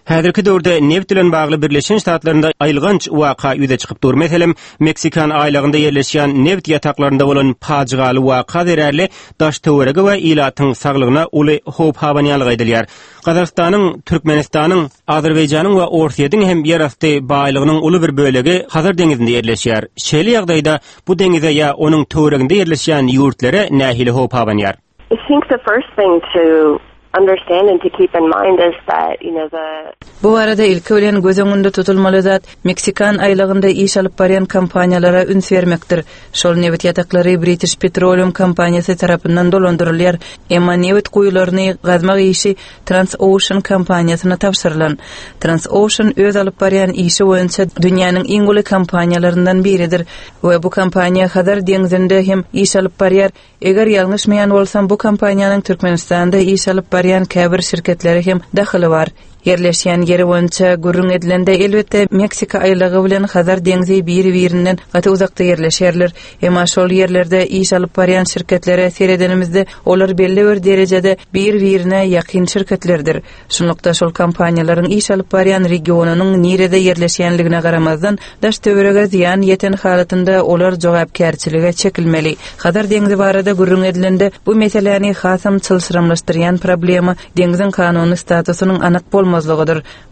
Häzirki döwürde nebit bilen bagly Birleşen Ştatlarynda aýylganç waka ýüze çykyp dur. Meselem, Meksikan aýlagynda ýerleşýän nebit ýataklarynda bolan pajygaly waka zerarly daş-töwerege we ilatyň saglygyna uly howp abanýanlygy aýdylýar. Gazagystanyň, Türkmenistanyň, Azerbaýjanyň we Orsýetiň hem ýerasty baýlygynyň uly bir bölegi Hazar deňzinde ýerleşýär. Şeýle ýagdaýda bu deňize ýa onuň töwereginde ýerleşýän ýurtlara nähili howp abanýar?
I think the first thing to understand and to keep in mind is that, you know, the.
Bu barada ilki bilen göz öňünde tutulmaly zat, Meksikan aýlagynda iş alyp barýan kompaniýalara üns bermekdir. Şol nebit ýataklary British Petroleum kompaniýasy tarapyndan dolandyrylýar, emma nebit guýularyny gazmak işi Transocean kompaniýasyna tabşyrylan. Transocean öz alyp barýan işi boýunça dünýäniň iň uly kompaniýalaryndan biridir we bu kompaniýa Hazar deňzinde hem iş alyp barýar, Eger ýalňyşmaýan bolsam, bu kompaniýanyň Türkmenistanda iş alyp barýan käbir şirketlere hem dahyly bar. Ýerleşýän ýeri boýunça gürrüň edilende, elbetde, Meksika aýlagy bilen Hazar deňzi biri-birinden gaty uzakda ýerleşýärler. Emma şol ýerlerde iş alyp barýan şirketlere seredenimizde, olar belli bir derejede bir-birine ýakyn şirketlerdir. Şunlukda, şol kompaniýalaryň iş alyp barýan regionynyň nirede ýerleşýänligine garamazdan, daş-töwerege zyýan ýeten halatynda olar jogapkärçilige çekilmeli. Hazar deňzi barada gürrüň edilende, bu meseläni hasam çylşyrymlaşdyrýan problema deňziň kanuny statusynyň anyk bolmazlygydyr.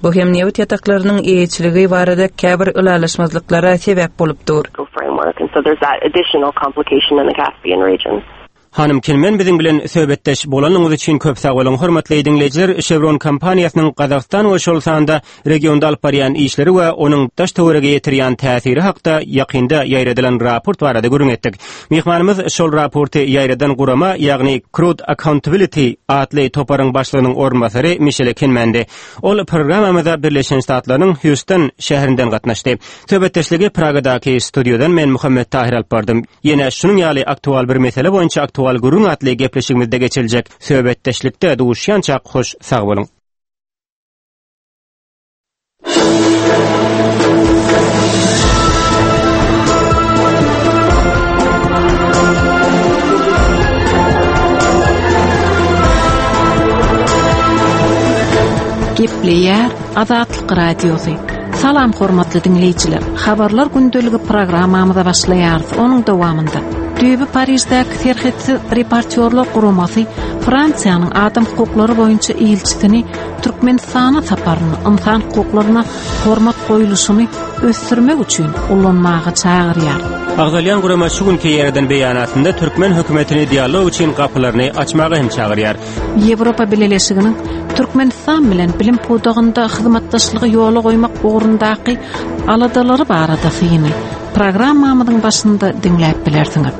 Bu hem nebit ýataklarynyň eýeçiligi barada käbir ylalaşmazlyklara sebäp bolup dur.
Hanym Kinmen biziň bilen söhbetdeş bolanyňyz üçin köp sag boluň. Hormatly diňleýjiler, Chevron kompaniýasynyň Gazagystan we şol sanda regionda alyp barýan işleri we onuň daş-töwerege ýetirýän täsiri hakda ýakynda ýaýradylan raport barada gürrüň etdik. Myhmanymyz şol raporty ýaýradan gurama, ýagny Crude Accountability atly toparyň başlygynyň orunbasary Mişele Kinmendi. Ol programmamyza Birleşen Ştatlarynyň Hýuston şäherinden gatnaşdy. Söhbetdeşligi Pragadaky studiýadan men Muhammet Tahyr alyp bardym. Ýene şunuň ýaly aktual bir mesele boýunça aktual gürrüň atly gepleşigimizde geçiriljek söhbetdeşlikde duşýançak hoş sag boluň.
Gepleýär Azatlyk Radiosy. Salam hormatly diňleýjiler. Habarlar gündeligi programmamyza başlaýarys. Onuň dowamynda düýbi Pariždäki serhetsiz reportýorlar guramasy Fransiýanyň adam hukuklary boýunça ilçisini Türkmenistana saparyny ynsan hukuklaryna hormat goýluşyny ösdürmek üçin ulanmaga çagyrýar.
Agzalýan gurama şu günki ýerden beýanatynda türkmen hökümetini dialog üçin gapylaryny açmaga hem çagyrýar.
Ýewropa Bileleşiginiň Türkmenistan bilen bilim pudagynda hyzmatdaşlygy ýola goýmak ugrundaky aladalary barada syny programmamyzyň başynda diňläp bilersiňiz.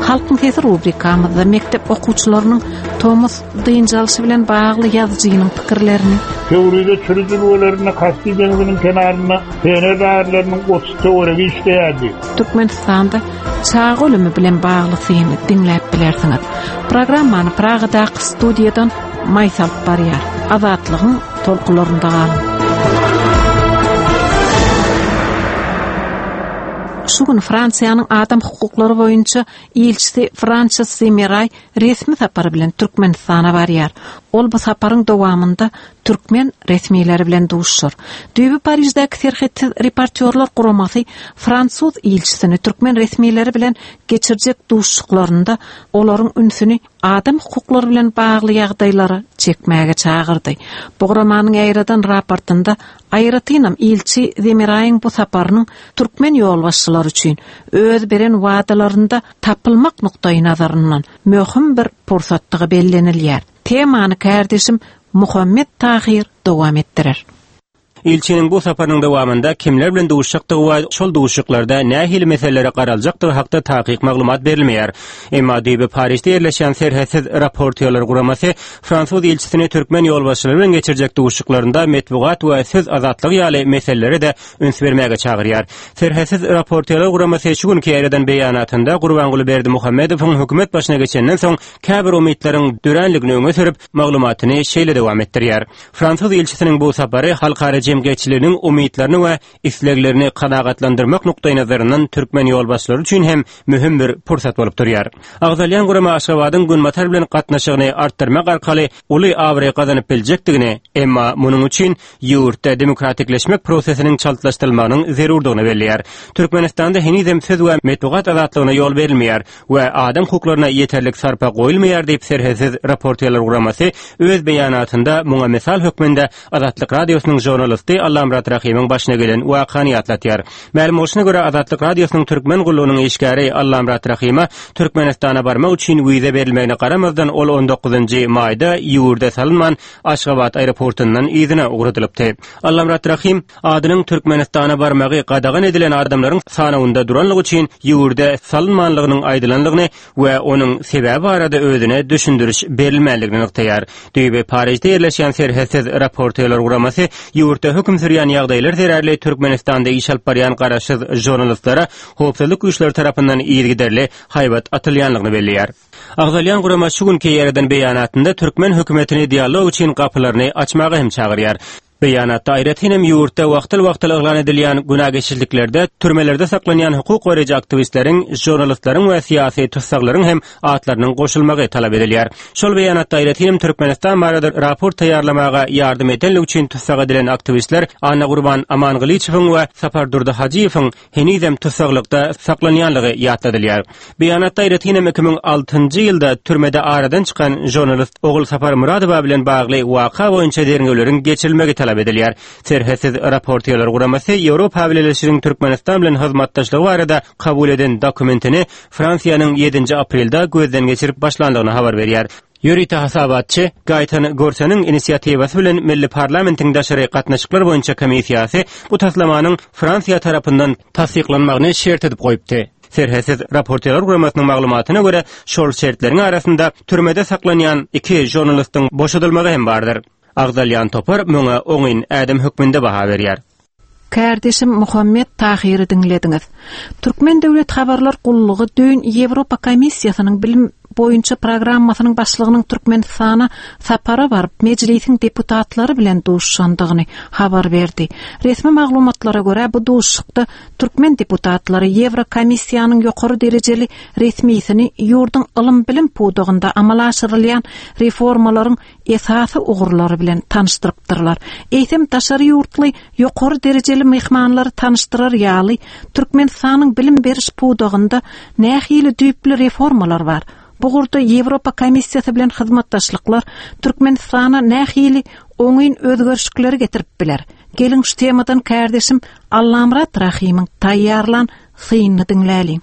Halkyň sesi rubrikamyzda mekdep okuwçylarynyň tomus dynç alşy bilen bagly ýazyjynyň pikirlerini,
Pöwrize çüri jülgelerinde Kaspi deňziniň kenarynda pioner lagerleriniň 30 töweregi işleýärdi.
Türkmenistanda çaga ölümi bilen bagly syny diňläp bilersiňiz. Programmany Pragadaky studiýadan Maýsa alyp barýar. Azatlygyň tolkunlarynda galyň. Şu gün Fransiýanyň adam hukuklary boýunça ilçisi Franses Zimeraý resmi sapar bilen Türkmenistana barýar. Ol bu saparyň dowamynda türkmen resmileri bilen duşuşar. Düýbi Pariždäki Serhetsiz reportýorlar guramasy fransuz ilçisini türkmen resmileri bilen geçirjek duşuşyklarynda olaryň ünsüni adam hukuklary bilen bagly ýagdaýlara çekmäge çagyrdy. Bu guramanyň ýaýradan raportynda aýratynam ilçi Zemiraýyň bu saparynyň türkmen ýolbaşçylary üçin öz beren wadalarynda tapylmak nukdaýnazaryndan möhüm bir pursatdygy bellenilýär. Temany kärdeşim Muhammet Tahyr dowam etdirer.
Ilçiniň bu saparynyň dowamynda kimler bilen duşuşjakdygy we şol duşuşyklarda nähili meselelere garaljakdygy hakda takyk maglumat berilmeýär. Emma düýbi Parižde ýerleşýän Serhetsiz raportýorlar guramasy fransuz ilçisini türkmen ýolbaşçylary bilen geçirjek duşuşyklarynda metbugat we söz azatlygy ýaly meselelere-de üns bermäge çagyrýar. Serhetsiz raportýorlar guramasy şu günki ýaýradan beýanatynda Gurbanguly Berdimuhamedowyň hökümet başyna geçenden soň käbir umytlaryň döränligini öňe sürüp, maglumatyny şeýle dowam etdirýär. Fransuz ilçisiniň bu sapary halkara jemgyýetçiliginiň umytlaryny we isleglerini kanagatlandyrmak nukdaýnazaryndan türkmen ýolbaşçylary üçin hem möhüm bir pursat bolup durýar. Agzalýan gurama Aşgabadyň Günbatar bilen gatnaşygyny artdyrmak arkaly uly abraý gazanyp biljekdigini, emma munuň üçin ýurtda demokratikleşmek prosesiniň çaltlaşdyrylmagynyň zerurdygyny belleýär. Türkmenistanda henizem söz we metbugat azatlygyna ýol berilmeýär we adam hukuklaryna ýeterlik sarpa goýulmaýar diýip Serhetsiz raportýorlar guramasy öz beýanatynda muňa mysal hökmünde Azatlyk Radiosynyň žurnalisti Allamyrat Rahymyň başyna gelen wakany ýatlatýar. Mälim bolşuna görä Azatlyk Radiosynyň türkmen gullugynyň işgäri Allamyrat Rahyma Türkmenistana barmak üçin wiza berilmegine garamazdan ol on dokuzynjy maýda ýurda salynman Aşgabat aeroportundan yzyna ugradylypdy. Allamyrat Rahym adynyň Türkmenistana barmagy gadagan edilen adamlaryň sanawynda duranlygy üçin ýurda salynmanlygynyň aýdylanlygyny we onuň sebäbi barada özüne düşündiriş berilmänligini nygtaýar. Düýbi Parižde ýerleşýän Serhetsiz raportýorlar guramasy ýurtda höküm sürýän ýagdaýlar zerarly Türkmenistanda iş alyp barýan garaşsyz žurnalistlere howpsuzlyk güýçleri tarapyndan yzygiderli haýbat atylýanlygyny belleýär. Agzalýan gurama şu günki ýereden beýanatynda türkmen hökümetini dialog üçin gapylaryny açmaga hem çagyrýar. Beýanatda aýratyn hem ýurtda wagtal-wagtal yglan edilýän günä geçijiliklerde türmelerde saklanýan hukuk goraýjy aktiwistleriň, žurnalistleriň we syýasy tussaglaryň hem atlarynyň goşulmagy talap edilýär. Şol beýanatda aýratyn hem Türkmenistan barada raport taýýarlamaga ýardam edenligi üçin tussag edilen aktiwistler Annagurban Amangylyçowyň we Sapardurdy Hajyýewiň henizem tussaglykda saklanýanlygy ýatladylýar. Beýanatda aýratyn hem 2006-njy ýylda türmede aradan çykan žurnalist Ogulsapar Myradowa bilen bagly waka boýunça derňewleriň geçirilmegi talap. hasap edilýär. Serhetsiz raportýorlar guramasy Ýewropa Bileleşiginiň Türkmenistan bilen hyzmatdaşlygy barada kabul eden dokumentini Fransiýanyň ýedinji aprelde gözden geçirip başlandygyny habar berýär. Ýörite hasabatçy Gaýtan Gorseniň inisiatiwasy bilen milli parlamentiň daşary gatnaşyklar boýunça komissiýasy bu taslamanyň Fransiýa tarapyndan tassyklanmagyny şert edip goýupdy. Serhetsiz raportýorlar guramasynyň maglumatyna görä, şol şertleriň arasynda türmede saklanýan iki žurnalistiň boşadylmagy hem bardyr. Agzalýan topar muňa oňyn ädim hökmünde baha berýär.
Kärdeşim Muhammet Tahyry diňlediňiz. Türkmen döwlet habarlar gullugy düýn Ýewropa Komissiýasynyň bilim boýunça programmasynyň başlygynyň Türkmenistana sapara baryp, Mejlisiň deputatlary bilen duşuşandygyny habar berdi. Resmi maglumatlara görä, bu duşuşykda türkmen deputatlary Ýewrokomissiýanyň ýokary derejeli resmisini ýurduň ylym-bilim pudagynda amala aşyrylýan reformalaryň esasy ugurlary bilen tanyşdyrypdyrlar. Eýsem, daşary ýurtly ýokary derejeli myhmanlary tanyşdyrar ýaly, Türkmenistanyň bilim beriş pudagynda nähili düýpli reformalar bar? Bu ugurda Ýewropa Komissiýasy bilen hyzmatdaşlyklar Türkmenistana nähili oňyn özgerişikleri getirip biler? Geliň, şu temadan kärdeşim Allamyrat Rahymyň taýýarlan synyny diňläliň.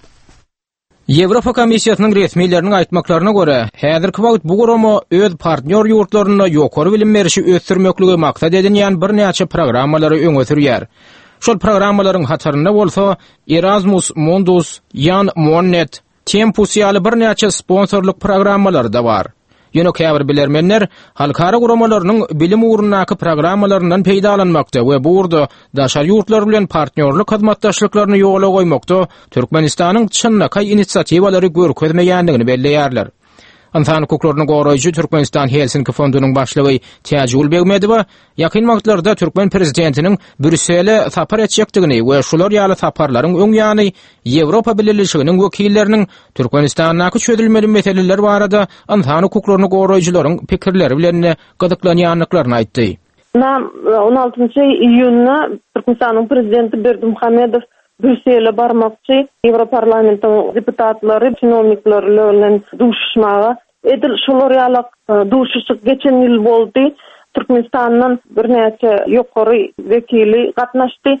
Ýewropa Komissiýasynyň resmileriniň aýtmaklaryna görä, häzirki wagt bu gurama öz partnýor ýurtlarynda ýokary bilim berişi ösdürmekligi maksat edinýän birnäçe programmalary öňe sürýär. Şol programmalaryň hatarynda bolsa Erasmus Mundus, Jan Monnet, Tempus ýaly birnäçe sponsorlyk programmalary-da bar. Ýöne käbir bilermenler halkara guramalarynyň bilim ugrundaky programmalaryndan peýdalanmakda we bu ugurda daşary ýurtlar bilen partnýorlyk hyzmatdaşlyklaryny ýola goýmakda Türkmenistanyň çynlakaý inisiatiwalary görkezmeýändigini belleýärler. Ynsan hukuklaryny goraýjy Türkmenistan Helsinki fondunyň başlygy Täjigül Begmedowa Ýakyn wagtlarda türkmen prezidentiniň Brýussele sapar etjekdigini we şular ýaly saparlaryň öň ýany Ýewropa Bileleşiginiň wekilleriniň Türkmenistandaky çözülmeli meseleler barada ynsan hukuklaryny goraýjylaryň pikirleri bilen gyzyklanýandyklaryny aýtdy.
Ynha, on altynjy iýunda Türkmenistanyň prezidenti Berdimuhamedow Brýussele barmakçy, Ýewroparlamentiň deputatlary, çinownikleri bilen duşuşmaga. Edil şolar ýalak duşuşyk geçen ýyl boldy. Türkmenistandan birnäçe ýokary wekili gatnaşdy.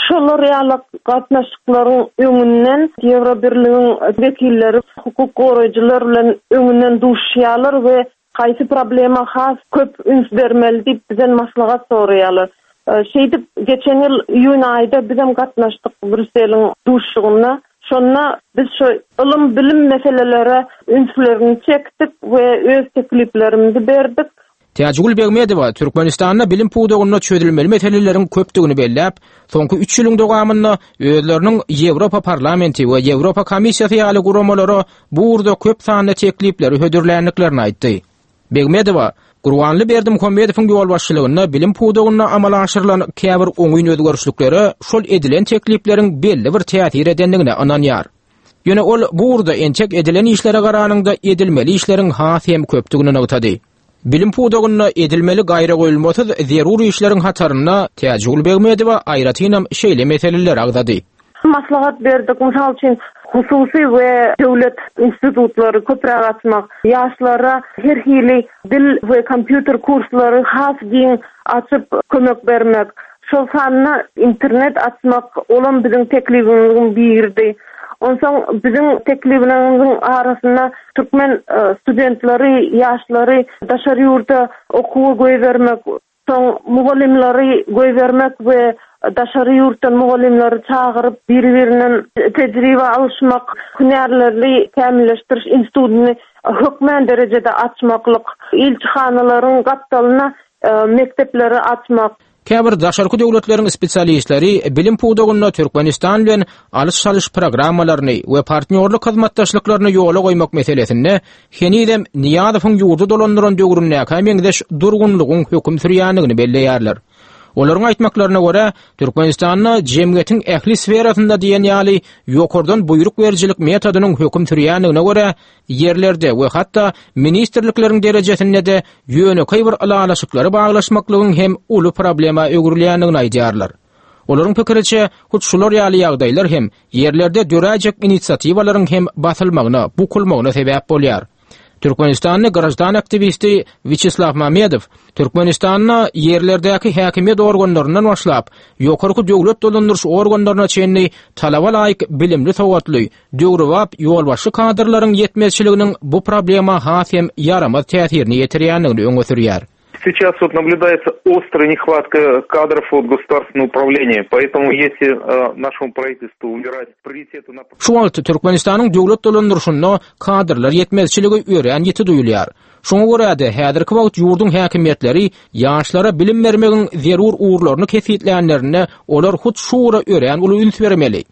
Şolar ýalak gatnaşyklaryň öňünden Ýewrobirligiň wekilleri hukuk goraýjylar bilen öňünden duşuşýarlar we haýsy problema has köp üns bermeli diýip bizden maslahat soraýarlar. Şeýdip geçen ýyl iýun aýda bizem gatnaşdyk Brýusseliň duşuşygynda. Şonda biz şu ylym-bilim meselelere ünslerini çekdik we öz tekliplerimizi berdik.
Täjigül Begmedowa Türkmenistanda bilim pudagynda çözülmeli meseleleriň köpdügini belläp, soňky üç ýylyň dowamynda özleriniň Ýewropa Parlamenti we Ýewropa Komissiýasy ýaly guramalara bu ugurda köp sanly teklipleri hödürländiklerini aýtdy. Begmedowa, Gurbanly Berdimuhamedowyň ýolbaşçylygynda bilim pudagynda amala aşyrylan käbir oňyn özgerişliklere şol edilen teklipleriň belli bir täsir edendigine ynanýar. Ýöne ol bu ugurda entek edilen işlere garanyňda edilmeli işleriň has hem köpdügini nygtady. Bilim pudagynda edilmeli gaýragoýulmasyz zerur işleriň hatarynda Täjigül Begmedowa aýratynam şeýle meseleleri agzady.
Maslahat berdik. Mysal üçin, hususy we döwlet institutlary köpräk açmak, ýaşlara her hili dil we kompýuter kurslary has giň açyp kömek bermek, şol sanda internet açmak, olam biziň teklibimiziň biridi. Onsoň biziň teklibimiziň arasynda türkmen studentleri, ýaşlary daşary ýurda okuwa goýbermek, Soň mugallymlary goýbermek we daşary ýurtdan mugallymlary çagyryp, biri-birinden tejribe alyşmak, hünärlerini kämilleşdiriş institutyny hökmän derejede açmaklyk, ilçihanalaryň gapdalyna mekdepleri açmak.
Käbir daşarky döwletleriň spesialistleri bilim pudagynda Türkmenistan bilen alyş-çalyş programmalaryny we partnýorlyk hyzmatdaşlyklaryny ýola goýmak meselesinde henizem Nyýazowyň ýurdy dolandyran döwründäkä meňzeş durgunlygyň höküm sürýändigini belleýärler. Olaryň aýtmaklaryna görä, Türkmenistanda jemgyýetiň ähli sferasynda diýen ýaly ýokardan buýruk berijilik metodynyň höküm sürýändigine görä, ýerlerde we hatda ministrlikleriň derejesinde-de ýönekeý bir ylalaşyklary baglaşmaklygyň hem uly problema öwrülýändigini aýdýarlar. Olaryň pikiriçe, hut şular ýaly ýagdaýlar hem ýerlerde döräýjek inisiatiwalaryň hem basylmagyna, bukulmagyna sebäp bolýar. Türkmenistanly graždan aktiwisti Wiçeslaw Mamedow Türkmenistanda ýerlerdäki häkimiýet organlaryndan başlap, ýokarky döwlet dolandyryş organlaryna çenli talaba laýyk bilimli-sowatly, döwrebap ýolbaşçy kadrlaryň ýetmezçiliginiň bu problema has hem ýaramaz täsirini ýetirýändigini öňe sürýär.
Сейчас вот наблюдается острая нехватка кадров от государственного управления, поэтому если э, нашему правительству убирать приоритеты на...
Şu wagt Türkmenistanyň döwlet dolandyryşynda kadrlar ýetmezçiligi örän ýiti duýulýar. Şoňa görä-de, häzirki wagt ýurduň häkimiýetleri ýaşlara bilim bermegiň zerur ugurlaryny kesgitlänlerinde olar hut şu ugra örän uly üns bermeli.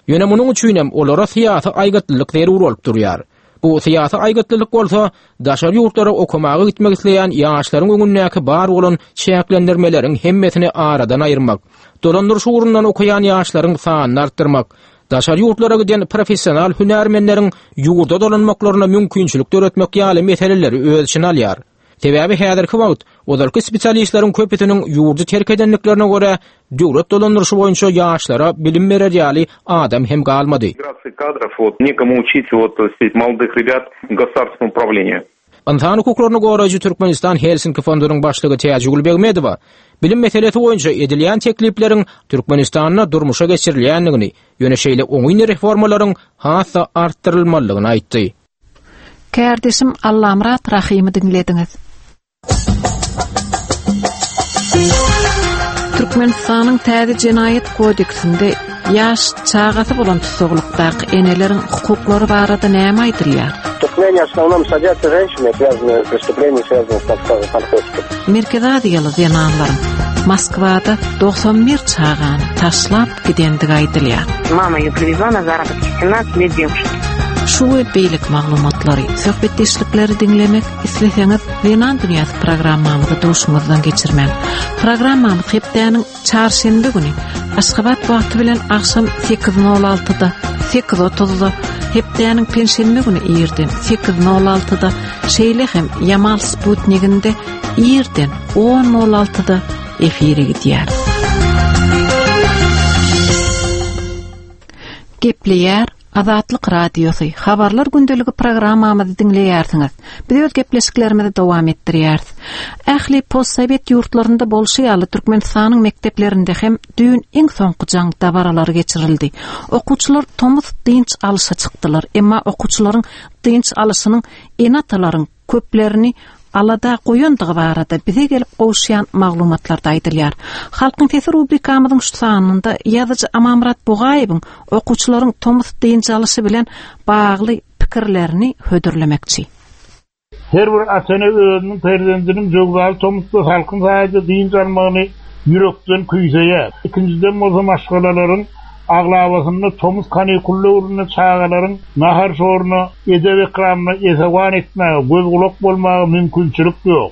Ýöne munuň üçinem olara syýasy aýgytlylyk zerur bolup durýar. Bu syýasy aýgytlylyk bolsa daşary ýurtlara okamaga gitmek isleýän ýaşlaryň öňündäki bar bolan çäklendirmeleriň hemmesini aradan aýyrmak, dolandyryş ugrundan okaýan ýaşlaryň sanyny artdyrmak, daşary ýurtlara giden professional hünärmenleriň ýurda dolanmaklaryna mümkinçilik döretmek ýaly meseleleri öz içine alýar. Sebäbi häzirki wagt ozalky spesialistleriň köpüsiniň ýurdy terk edendiklerine görä, döwlet dolandyryşy boýunça ýaşlara bilim berer ýaly adam hem galmady.
Kadrов вот некому учить вот молодых ребят государственному управлению.
Ynsan hukuklaryny goraýjy Türkmenistan Helsinki fondunyň başlygy Täjigül Begmedowa bilim meselesi boýunça edilýän teklipleriň Türkmenistanda durmuşa geçirilýändigini, ýöne şeýle oňyn reformalaryň has-da artdyrylmalydygyny aýtdy.
Kärdeşim Allamyrat Rahymy diňlediňiz. Türkmenistanyň täze jenaýat kodeksinde ýaş çagasy bolan tussaglykdaky eneleriň hukuklary barada näme aýdylýar?
В Туркмении в основном садятся женщины, связанные преступления, связанные с наркотиками.
Merkezi Aziýaly zenanlaryň Moskwada 91 çagany taşlap gidendigi aýdylýar.
Mama ее привезла на заработки, 17 лет девушке.
Şu we beýleki maglumatlary, söhbetdeşlikleri diňlemek isleseňiz, Zenan dünýäsi programmamyzy duşuňyzdan geçirmäň. Programmamyz hepdäniň çarşenbe güni Aşgabat wagty bilen agşam 8:06-da, 8:30-da, hepdäniň penşenbe güni irden 8:06-da, şeýle hem Ýamal Sputniginde irden 10:06-da efire gidýär. Gepleýär Azatlyk Radiosy, Habarlar gündeligi programmamyzy diňleýärsiňiz. Biz öz gepleşiklerimizi dowam etdirýäris. Ähli postsowet ýurtlarynda bolşy ýaly Türkmenistanyň mekdeplerinde hem düýn iň soňky jaň dabaralary geçirildi. Okuwçylar tomus dynç alyşa çykdylar. Emma okuwçylaryň dynç alyşynyň ene-atalaryň köplerini alada goýandygy barada bize gelip gowuşýan maglumatlarda aýdylýar. Halkyň sesi rubrikamyzyň şu sanynda ýazyjy Amanmyrat Bugaýewiň okuwçylaryň tomus dynç alyşy bilen bagly pikirlerini hödürlemekçi.
Her bir ata-ene özüniň perzendiniň jöwzaly tomusda salkyn saýada dynç almagyny ýürekden küýseýär. Ikinjiden bolsa maşgalalaryň aglabasynda tomus kanikul döwründe çagalaryň nahar-şoruna, edep-ekramyna esewan etmäge, göz-gulak bolmaga mümkinçilik ýok.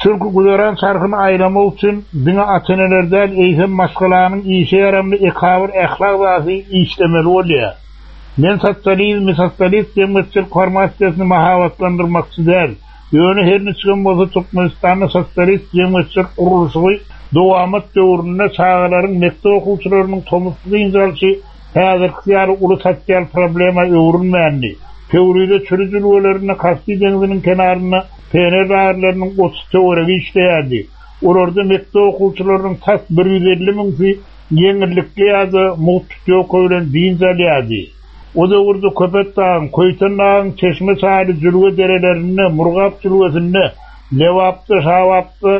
Çünki güzeran çarhyny aýlamak üçin diňe ata-eneler däl, eýsem maşgalanyň işe ýaramly ekabyr ähli agzasy işlemeli bolýar. Men sosializmi, sosialist jemgyýetçilik formasiýasyny mahabatlandyrmakçy däl. Ýöne her niçigem bolsa Türkmenistanda sosialist jemgyýetçilik gurluşygy dowamat döwründe çagalaryň, mekdep okuwçylarynyň tomusky dynç alşy häzirkisi ýaly uly sosial problema öwrülmändi. Pöwrize çüri jülgelerinde Kaspi deňziniň kenarynda pioner lagerleriniň 30 töweregi işleýärdi. Olarda mekdep okuwçylarynyň tas 150 müňsi ýeňillikli ýa-da mugt putýowka bilen dynç alýardy. O döwürde Köpetdagyň, Köýtendagyň çeşme-çaýly jülge derelerinde, Murgap jülgesinde, Lebapda, Şabapda,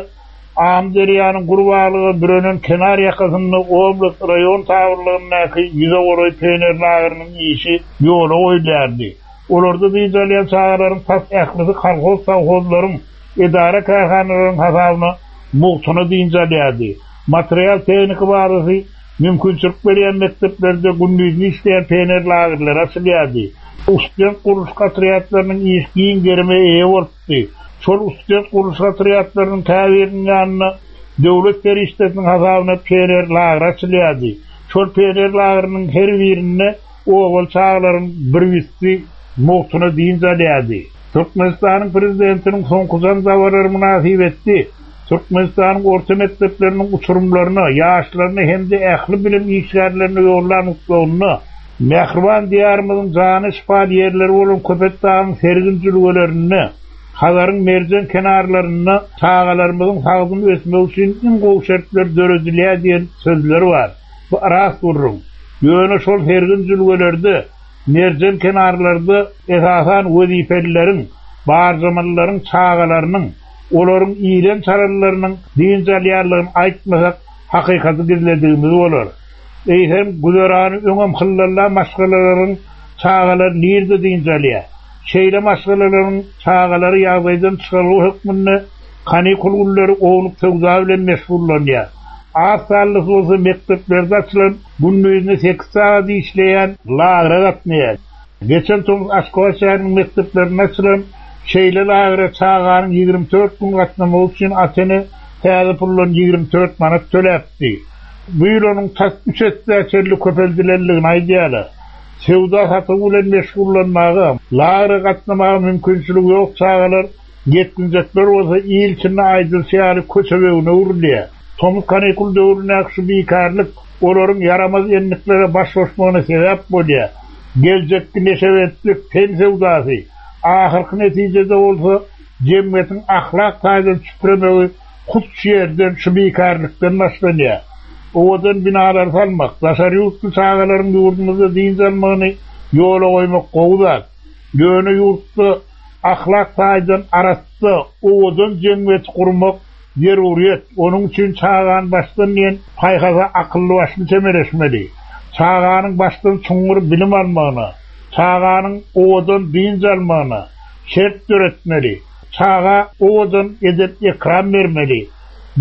Amyderýanyň gür baglyga bürenen kenar ýakasynda oblast, raýon tabynlygyndaky ýüze golaý pioner lageriniň işi ýola goýulýardy. Olarda dynç alýan çagalaryň tas ählisi kolhoz-sowhozlaryň, edara-kärhanalaryň hasabyna mugtuna dynç alýardy. Material-tehniki bazasy mümkinçilik berýän mekdeplerde gündizine işleýän pioner lagerleri açylýardy. Student gurluşyk otrýadlarynyň işi giň gerime eýe bolupdy. Şol student gurluşyk otrýadlarynyň käbiriniň ýanynda döwlet serişdesiniň hasabyna pioner lageri açylýardy. Şol pioner lageriniň her birinde obaly çagalaryň bir ýüzsi mugtuna dynç alýardy. Türkmenistanyň Prezidentiniň soňky jaň dabaralary mynasybetli Türkmenistanyň orta mekdepleriniň uçurymlaryna, ýaşlaryna hem-de ähli bilim işgärlerine ýollan gutlagynda. Mähriban Diýarymyzyň jana şypaly ýerleri bolan Köpetdagyň sergin jülgelerinde, Hazaryň merjen kenarlarynda çagalarymyzyň sagdyn ösmegi üçin iň gowy şertler döredilýär diýen sözler bar. Bu rast gürrüň. Ýöne şol sergin jülgelerde, merjen kenarlarda esasan wezipelileriň, barjamlylaryň çagalarynyň, olaryň ilen-çalanlarynyň dynç alýanlygyny aýtmasak, hakykaty gizledigimiz bolar. Eýsem, güzerany öňem hyllalla maşgalalaryň çagalary nirde dynç alýar? Şeýle maşgalalaryň çagalary ýagdaýdan çykalga hökmünde kanikul günleri ownuk söwda bilen meşgullanýar. Az sanlysy bolsa mekdeplerde açylan, gündizine sekiz sagat işleýän lagere gatnaýar. Geçen tomus Aşgabat şäheriniň mekdeplerinde açylan şeýle lagere çaganyň 24 gün gatnamagy üçin ata-ene täze puldan 24 manat töläpdi. Bu ýyl onuň tas üç essä çenli köpeldilendigini aýdýarlar. Söwda-satygy bilen meşgullanmaga, lagere gatnamaga mümkinçiligi ýok çagalar, ýetginjekler bolsa il içinde aýdylyşy ýaly köçebegine öwrülýär. Tomus kanikul döwründäki şu bikarlyk olaryň ýaramaz endiklere baş goşmagyna sebäp bolýar. Geljekki neşebentlik, ten söwdasy, ahyrky netijede bolsa jemgyýetiň ahlak taýdan çüpremegi hut şu ýerden, şu bikarlykdan başlanýar. Owadan binalary salmak, daşary ýurtly çagalaryň ýurdumyzda dynç almagyny ýola goýmak gowy zat. Ýöne ýurtda ahlak taýdan arassa, owadan jemgyýeti gurmak zeruryýet. Onuň üçin çagany başdan diýen paýhasa akylly-başly çemeleşmeli. Çaganyň başdan çuňňur bilim almagyna, çaganyň owadan dynç almagyna şert döretmeli. Çaga owadan edep-ekram bermeli.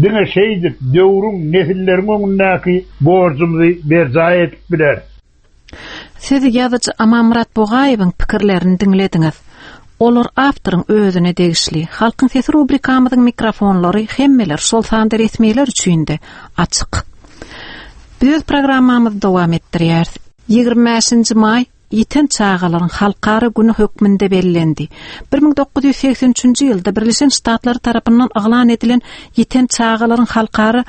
Diňe şeýdip, döwrüň, nesilleriň öňündäki borjumyzy berjaý edip bileris.
Siz ýazyjy Amanmyrat Bugaýewiň pikirlerini diňlediňiz. Olar awtoryň özüne degişli. Halkyň sesi rubrikamyzyň mikrofonlary hemmeler, şol sanda resmiler üçin-de açyk. Biz öz programmamyzy dowam etdirýäris. 25-nji maý Ýiten çagalaryň halkara güni hökmünde bellendi. 1983-nji ýylda Birleşen Ştatlary tarapyndan yglan edilen Ýiten çagalaryň halkara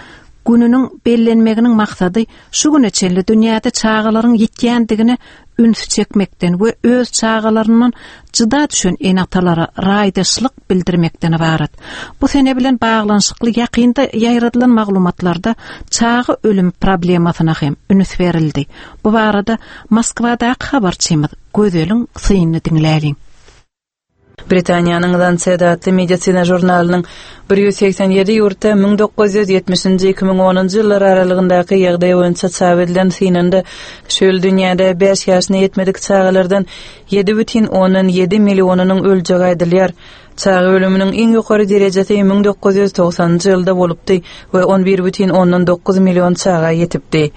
gününiň bellenmeginiň maksady şu güne çenli dünýäde çagalaryň ýitýändigine ünsi çekmekden we öz çagalaryndan jyda düşen ene-atalara raýdaşlyk bildirmekden ybarat. Bu sene bilen baglanyşykly ýakynda ýaýradylan maglumatlarda çaga ölümi problemasyna hem üns berildi. Bu barada Moskwadaky habarçymyz Gözeliň synyny diňläliň.
Britaniýanyň Lancet atly medisina žurnalynyň 187 ýurtda 1970-nji, 2010-njy ýyllar aralygyndaky ýagdaý boýunça çap edilen synynda şu ýyl dünýäde bäş ýaşyna ýetmedik çagalardan 7,7 millionynyň öljegi aýdylýar. Çaga ölüminiň iň ýokary derejesi 1990-njy ýylda bolupdy we 11,9 million çaga ýetipdi.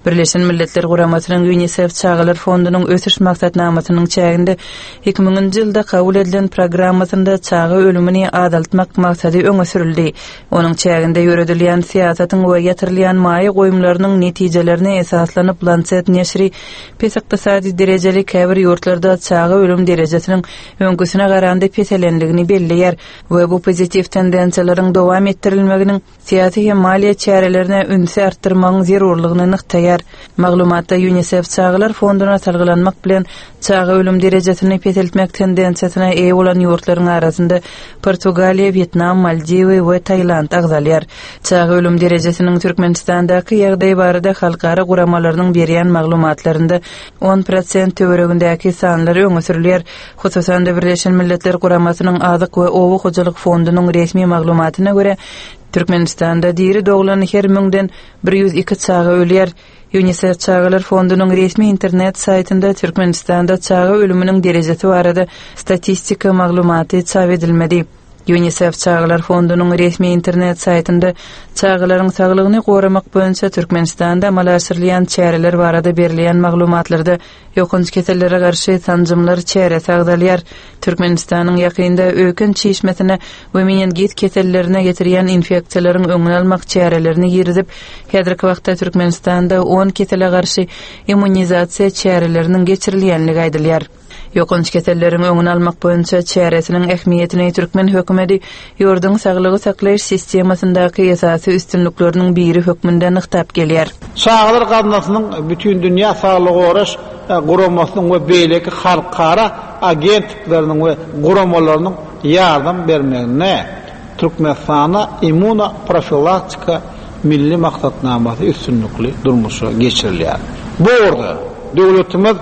Birleşen Milletler Guramasynyň Ýunisef çagalar fondunyň ösüş maksatnamasynyň çäginde 2000-nji ýylda kabul edilen programmasynda çaga ölümini azaltmak maksady öňe sürüldi. Onuň çäginde ýöredilýän syýasatyň we ýatyrylýan maýa goýumlarynyň netijelerine esaslanyp Lancet neşiri pes ykdysady derejeli käbir ýurtlarda çaga ölüm derejesiniň öňküsine garanda peselendigini belleýär we bu pozitiw tendensiýalaryň dowam etdirilmeginiň syýasy hem maliýe çärelerine ünsi artdyrmagyň zerurlygyny nygtaýar. Maglumatda Ýunisef çagalar fonduna salgylanmak bilen, çaga ölüm derejesini peseltmek tendensiýasyna eýe bolan ýurtlaryň arasynda Portugaliýa, Wýetnam, Maldiwy we Tailand agzalýar. Çaga ölüm derejesiniň Türkmenistandaky ýagdaýy barada halkara guramalarynyň berýän maglumatlarynda 10 prosent töweregindäki sanlar öňe sürülýär. Hususan-da, Birleşen Milletler Guramasynyň Azyk we oba hojalyk fondunyň resmi maglumatyna görä, Türkmenistanda diri doglan her müňden 102 çaga ölýär. Ýunisef çagalar fondunyň resmi internet saýtynda Türkmenistanda çaga ölüminiň derejesi barada statistika maglumaty çap edilmedi. Ýunisef çagalar fondunyň resmi internet saýtynda çagalaryň saglygyny goramak boýunça Türkmenistanda amala aşyrylýan çäreler barada berilýän maglumatlarda ýokanç kesellere garşy sanjymlar çäresi agzalýar. Türkmenistanyň ýakynda öýken çişmesine we meningit kesellerine getirýän infeksiýalaryň öňüni almak çärelerini girizip, häzirki wagtda Türkmenistanda on kesele garşy immunizasiýa çäreleriniň geçirilýändigi aýdylýar. Ýokanç keselleriň öňüni almak boýunça çäresiniň ähmiýetini türkmen hökümeti ýurduň saglygy saklaýyş sistemasyndaky esasy üstünlikleriniň biri hökmünde nygtap gelýär.
Çagalar gaznasynyň Bütindünýä saglygy goraş. Guramasynyň we beýleki halkara agentlikleriniň we guramalarynyň ýardam bermeginde Türkmenistanda immunoprofilaktika milli maksatnamasy üstünlikli durmuşa geçirilýär. Bu ugurda döwletimiz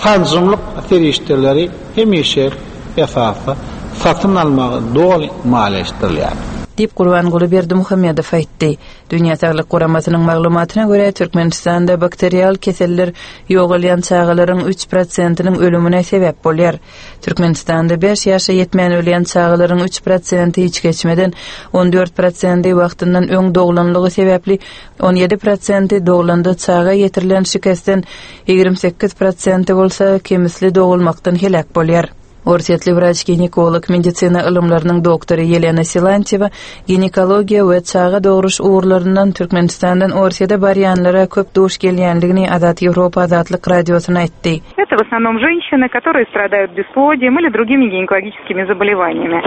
sanjymlyk serişdeleri hemişe esasda satyn almagy doly maliýeleşdirilýär.
Diýip, Gurbanguly Berdimuhamedow aýtdy. Dünýä Saglyk Guramasynyň maglumatyna görä, Türkmenistanda bakterial keseller ýogalýan çagalaryň üç prosentiniň ölümine sebäp bolýar. Türkmenistanda bäş ýaşa ýetmän ölýän çagalaryň üç prosenti içgeçmeden, 14 prosenti wagtyndan öň doglanlygy sebäpli, 17 prosenti doglanda çaga ýetirilen şikesden, 28 prosenti bolsa kemisli dogulmakdan heläk bolýar. Orsýetli wraç-ginekolog, medisina ylymlarynyň doktory Ýelena Silantýewa ginekologiýa we çaga dogruş ugurlaryndan Türkmenistandan Orsýete barýanlara köp duş gelýändigini Azat Ýewropa Azatlyk Radiosyna aýtdy.
Это в основном женщины, которые страдают бесплодием или другими гинекологическими заболеваниями.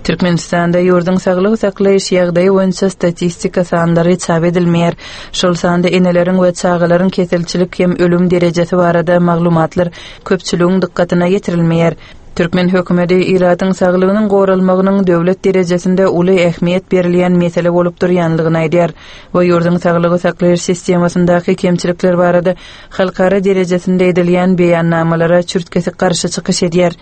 Türkmenistanda ýurduň saglygy saklaýyş ýagdaýy boýunça statistika sanlary çap edilmeýär. Şol sanda eneleriň we çagalaryň keselçilik hem ölüm derejesi barada maglumatlar köpçüligiň dykgatyna ýetirilmeýär. Türkmen hökümeti ilatyň saglygynyň goralmagynyň döwlet derejesinde uly ähmiýet berilýän mesele bolup durýanlygyny aýdýar we ýurduň saglygy saklaýyş sistemasyndaky kemçilikler barada halkara derejesinde edilýän beýannamalara çürt-kesik garşy çykyş edýär.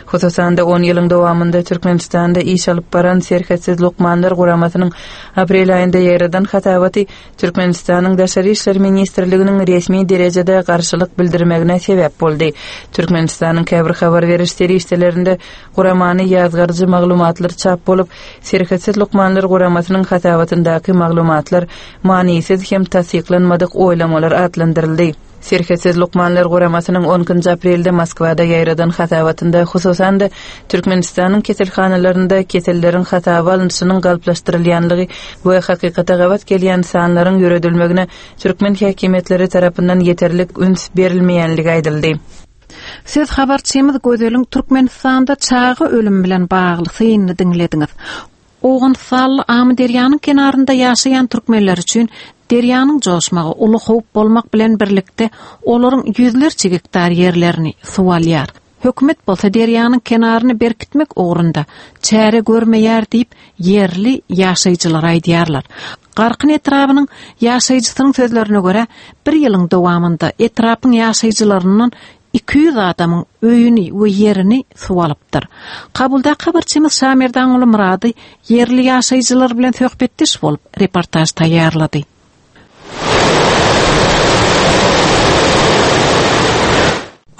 Hususan-da, on ýylyň dowamynda Türkmenistanda iş alyp baran Serhetsiz lukmanlar guramasynyň aprel aýynda ýaýradan hasabaty Türkmenistanyň Daşary işler ministrliginiň resmi derejede garşylyk bildirmegine sebäp boldy. Türkmenistanyň käbir habar beriş serişdelerinde guramany ýazgaryjy maglumatlar çap bolup, Serhetsiz lukmanlar guramasynyň hasabatyndaky maglumatlar manysyz hem tassyklanmadyk oýlamalar atlandyryldy. Serhetsiz lukmanlar guramasynyň on ikinji aprelde Moskwada ýaýradan hasabatynda, hususan-da, Türkmenistanyň keselhanalarynda keselleriň hasaba alnyşynyň galplaşdyrylýanlygy we hakykata gabat gelýän sanlaryň ýöredilmegine türkmen häkimiýetleri tarapyndan ýeterlik üns berilmeýänligi aýdyldy.
Siz habarçymyz Gözeliň Türkmenistanda çaga ölümi bilen bagly synyny diňlediňiz. Owganystanly Amyderýanyň kenarynda ýaşaýan türkmenler üçin derýanyň joşmagy uly howp bolmak bilen birlikde, olaryň ýüzlerçe gektar ýerlerini suw alýar. Hökümet bolsa derýanyň kenaryny berkitmek ugrunda çäre görmeýär diýip, ýerli ýaşaýjylar aýdýarlar. Garkyn etrabynyň ýaşaýjysynyň sözlerine görä, bir ýylyň dowamynda etrapyň ýaşaýjylaryndan 200 adamyň öýüni we ýerini suw alypdyr. Kabuldaky habarçymyz Şamerdanguly Myrady ýerli ýaşaýjylar bilen söhbetdeş bolup, reportaž taýýarlady.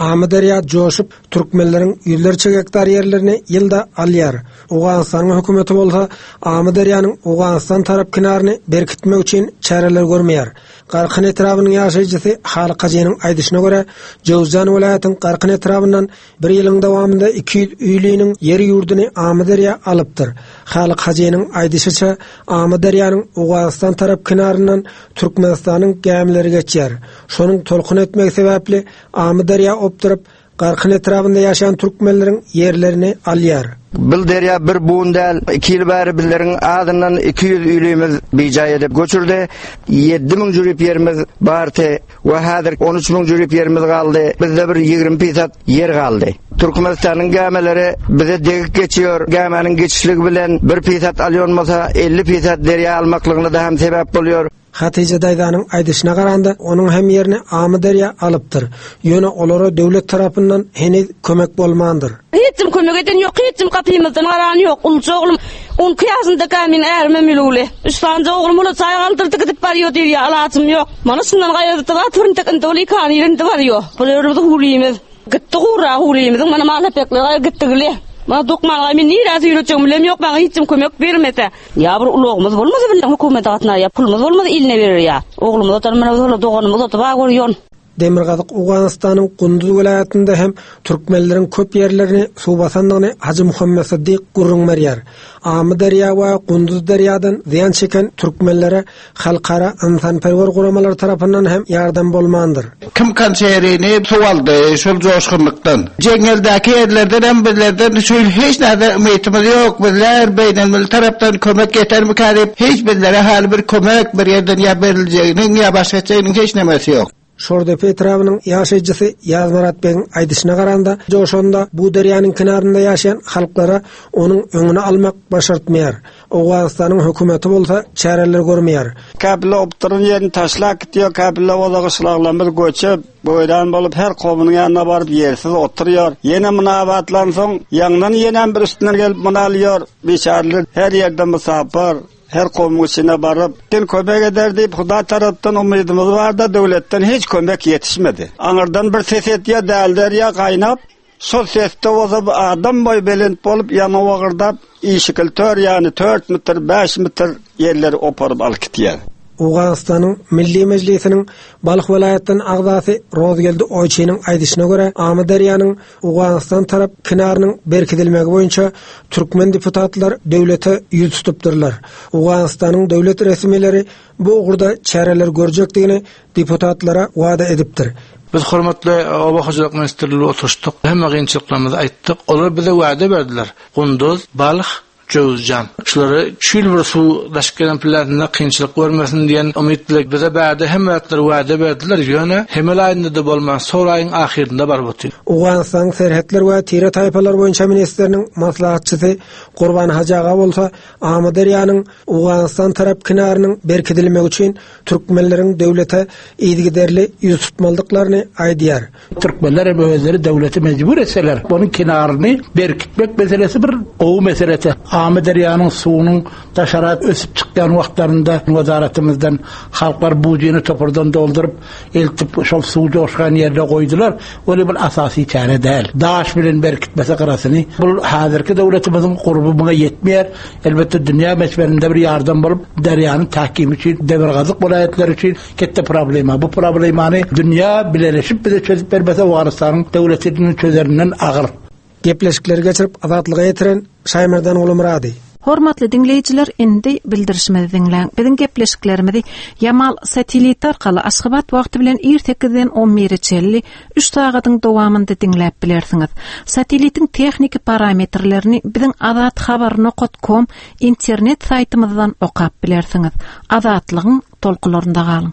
Amyderýa joşup, türkmenleriň ýüzlerçe gektar ýerlerini ýylda alýar. Owganystanyň hökümeti bolsa Amyderýanyň Owganystan tarap kenaryny berkitmek üçin çäreler görmeýär. Garkyn etrabynyň ýaşaýjysy Halyk hajynyň aýdyşyna görä, Jöwüzjan welaýatyň Garkyn etrabyndan bir ýylyň dowamynda 200 öýliniň ýer-ýurduny Amyderýa alypdyr. Halyk hajynyň aýdyşyça, Amyderýanyň Owganystan tarap kenaryndan Türkmenistanyň gämileri geçýär. Şonuň tolkun etmegi sebäpli Amyderýa opduryp, Garkyn etrabynda ýaşaýan türkmenleriň ýerlerini alýar.
Bil derýa bir bun däl, iki ýyl bäri bizleriň azyndan 200 öýlimiz bijaý edip göçürdi. 7000 jürip ýerimiz bardy we häzir 13 müň jürip ýerimiz galdy. Bizde bir 20 pisat ýer galdy. Türkmenistanyň gämileri bize degip geçiyor. Gäminiň geçişligi bilen bir pisat alýan bolsa 50 pisat derýa almaklygyna-da hem sebäp bolýar.
Hatyja daýzanyň aýdyşyna garanda, onuň hem ýerini Amyderýa alypdyr. Ýöne olara döwlet tarapyndan heniz kömek bolmandyr.
Hiç kim kömek eden ýok, hiç kim gapymyzdan garan ýok. Uluja oglum on iki ýaşyndaka meniň ärimem ölügli. Üç sanyja oglum ula çaý galdyrdy gidip barýo diýýär, alajym ýok. Mana şundan gaýradyp zat birintek indi ol ikany indi barýo. Bu ýerimiz howlymyz. Gitdi gurra howlymyzyň mana mal hepekleri gitdi gile. Mana dokman men nirä süýretjegimi bilem ýok, maňa hiç kim kömek bermese. Ýa bir ulagymyz bolmasa bilen hökümete gatnar ýa pulumyz bolmasa iline berer ýa. Oglumyz otar mana biz ola doganymyz otar bar görýon.
Demirgazyk Owganystanyň Gunduz welaýatynda hem türkmenleriň köp ýerlerini suw basandygyny Hajy Muhammet Syddyk gürrüň berýär. Amyderýa we Gunduz derýadan zyýan çeken türkmenlere halkara ynsanperwer guramalary tarapyndan hem ýardam bolmandyr.
Kim konserini suw aldy şol joşgunlykdan. Jeňňeldäki ýerlerden hem bizlerden şu ýyl hiç näde umytymyz ýok. Bizler beýnelmilli tarapdan kömek ýetermikä diýip hiç bizlere häli bir kömek bir ýerden ýa beriljeginiň ýa başga etjeginiň hiç nemesi ýok.
Şordepe etrabynyň ýaşaýjysy Ýazmyrat begiň aýdyşyna garanda, joşanda bu derýanyň kenarynda ýaşaýan halklara onuň öňüni almak başartmaýar. Owganystanyň hökümeti bolsa çäreler görmeýär.
Käpille opduran ýerini taşlap gidýär, käpille bolsa gyşlaglarymyz göçüp, weýran bolup her kowumynyň ýanyna baryp ýersiz oturýar. Ýene muny abatlansoň, ýaňdan ýenem bir üstünden gelip muny alýar. Biçäreler her ýerde mysapyr. Her kowumyň içine baryp, Sen kömek eder diýip, Hudaý tarapdan umydymyz bar-da, döwletden hiç kömek ýetişmedi. Aňyrdan bir ses etýär, däl derýa gaýnap, şol sesde bolsa bu adam boýy belent bolup, ýaňy wagyrdap, işikil tör ýany tört metr, bäş metr ýerleri oparyp alyp gitýär.
Owganystanyň Milli Mejlisiniň Balh welaýatdan agzasy Rozgeldi Oýçynyň aýdyşyna görä, Amyderýanyň Owganystan tarap kenarynyň berkidilmegi boýunça türkmen deputatlar döwlete ýüz tutupdyrlar. Owganystanyň döwlet resmileri bu ugurda çäreler görjekdigini deputatlara wada edipdir.
Biz hormatly Oba hojalyk ministrligi bilen oturyşdyk. Hemme kynçylyklarymyzy aýtdyk. Olar bize wada berdiler. Gunduz, Balh, Jöwüzjan. Şulary şu ýyl bir suw daşyp gelen plantynda kynçylyk görmesin diýen umyt bile bize bärde hemme zatlary wada berdiler, ýöne hemel aýynda-da bolman sol aýyň ahyrynda baryp otyr.
Owganystanyň serhetler we tire-taýpalar boýunça ministriniň maslahatçysy Gurban Hajy aga bolsa Amyderýanyň Owganystan tarap kenarynyň berkidilmegi üçin türkmenleriň döwlete yzygiderli ýüz tutmalydyklaryny aýdýar.
Türkmenler hem özleri döwleti mejbur etseler, onuň kenaryny berkitmek meselesi bir gowy meselesi. Amyderýanyň suwunyň daşara ösüp çykýan wagtlarynda wezaratymyzdan halklar bujyny topardan dolduryp, eltip şol suw joşgan ýerine goýdular. Ol bir asasy çäre däl. Daş bilen berkitmese gyrasyny. Bu häzirki döwletimiziň gurby muňa ýetmeýär. Elbetde dünýä möçberinde bir ýardam bolup, derýanyň tahkimi üçin, demirgazyk welaýatlary üçin Ketde problema. Bu problemany dünýä bileleşip bize çözüp bermese Owganystanyň döwletiniň çözerinden agyr.
Gepleşikleri geçirip Azatlyga ýetiren Şaýmerdan Gulumyrady.
Hormatly diňleýjiler indi bildirişimizi diňläň. Biziň gepleşiklerimizi Ýamal sateliti arkaly Aşgabat wagty bilen ir sekizden on bire çenli üç sagadyň dowamynda diňläp bilersiňiz. Satelitiň tehniki parametrlerini biziň azathabar nokat kom internet saýtymyzdan okap bilersiňiz. Azatlygyň tolkunlarynda galyň.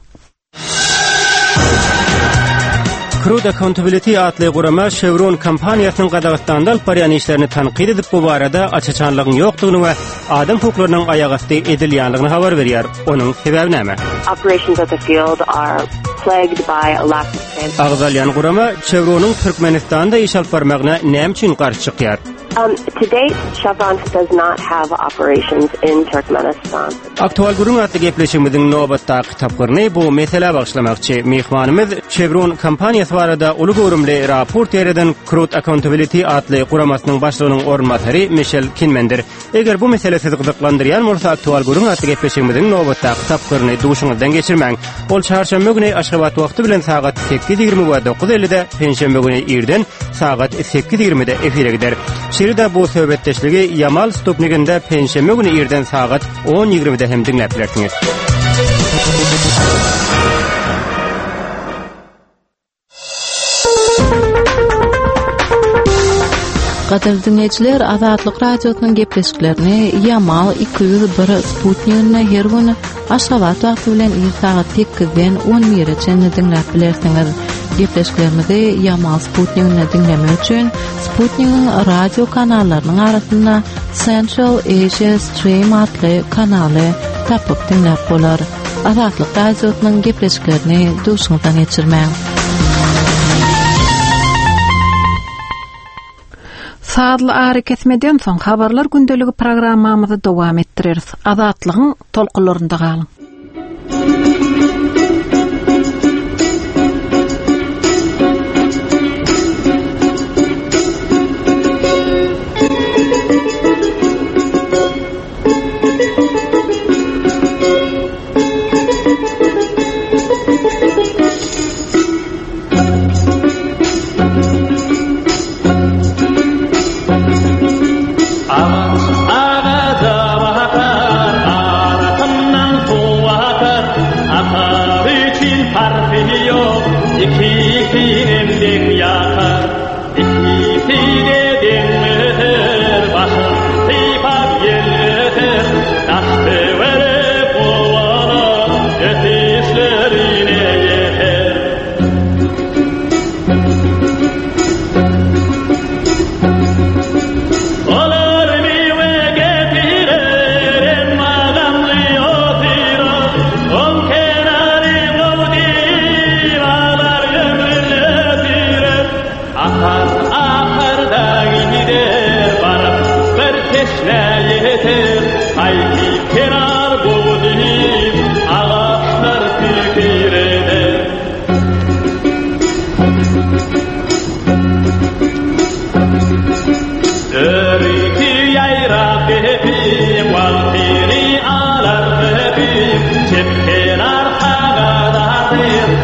Crude Accountability atly gurama Chevron kompaniýasynyň Gazagystanda alyp barýan işlerini tankyt edip, bu barada aç-açanlygyň ýokdugyny we adam hukuklarynyň aýagasty edilýändigini habar berýär. Onuň sebäbi näme?
Operations at the field are plagued by a lack of
Agzalýan gurama Chevronyň Türkmenistanda iş alyp barmagyna näme üçin garşy çykýar?
Um, to date, Chevron does not have operations in Turkmenistan.
Aktual gürrüň atly gepleşigimiziň nobatdaky tapgyryny bu meselä bagyşlamakçy. Myhmanymyz Chevron kompaniýasy barada uly göwrümli raport ýaýradan Crude Accountability atly guramasynyň başlygynyň orunbasary Mişel Kinmendir. Eger bu mesele sizi gyzyklandyrýan bolsa Aktual gürrüň atly gepleşigimiziň nobatdaky tapgyryny duşuňyzdan geçirmäň. Ol çarşenbe güni Aşgabat wagty bilen sagat 8:20 we 9:50-de, penşenbe güni irden sagat 8:20-de efire gider. Şeýle-de bu söhbetdeşligi Ýamal Stupniginde penşenbe güni irden sagat 10:20-de hem diňläp bilersiňiz.
Gadyrly diňleýjiler, Azatlyk Radiosynyň gepleşiklerini Ýamal 201 sputniginde her gün Aşgabat wagty bilen ir sagat 8-den 11-e çenli diňläp bilersiňiz. Gepleşiklerimizi Ýamal sputniginde diňlemek üçin sputnigiň radio kanallarynyň arasynda Central Asia Stream atly kanaly tapyp diňläp bolar. Azatlyk Radiosynyň gepleşiklerini duşuňyzdan geçirmäň. Sazly arakesmeden soň Habarlar gündeligi programmamyzy dowam etdireris. Azatlygyň tolkunlarynda galyň.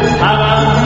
Salam.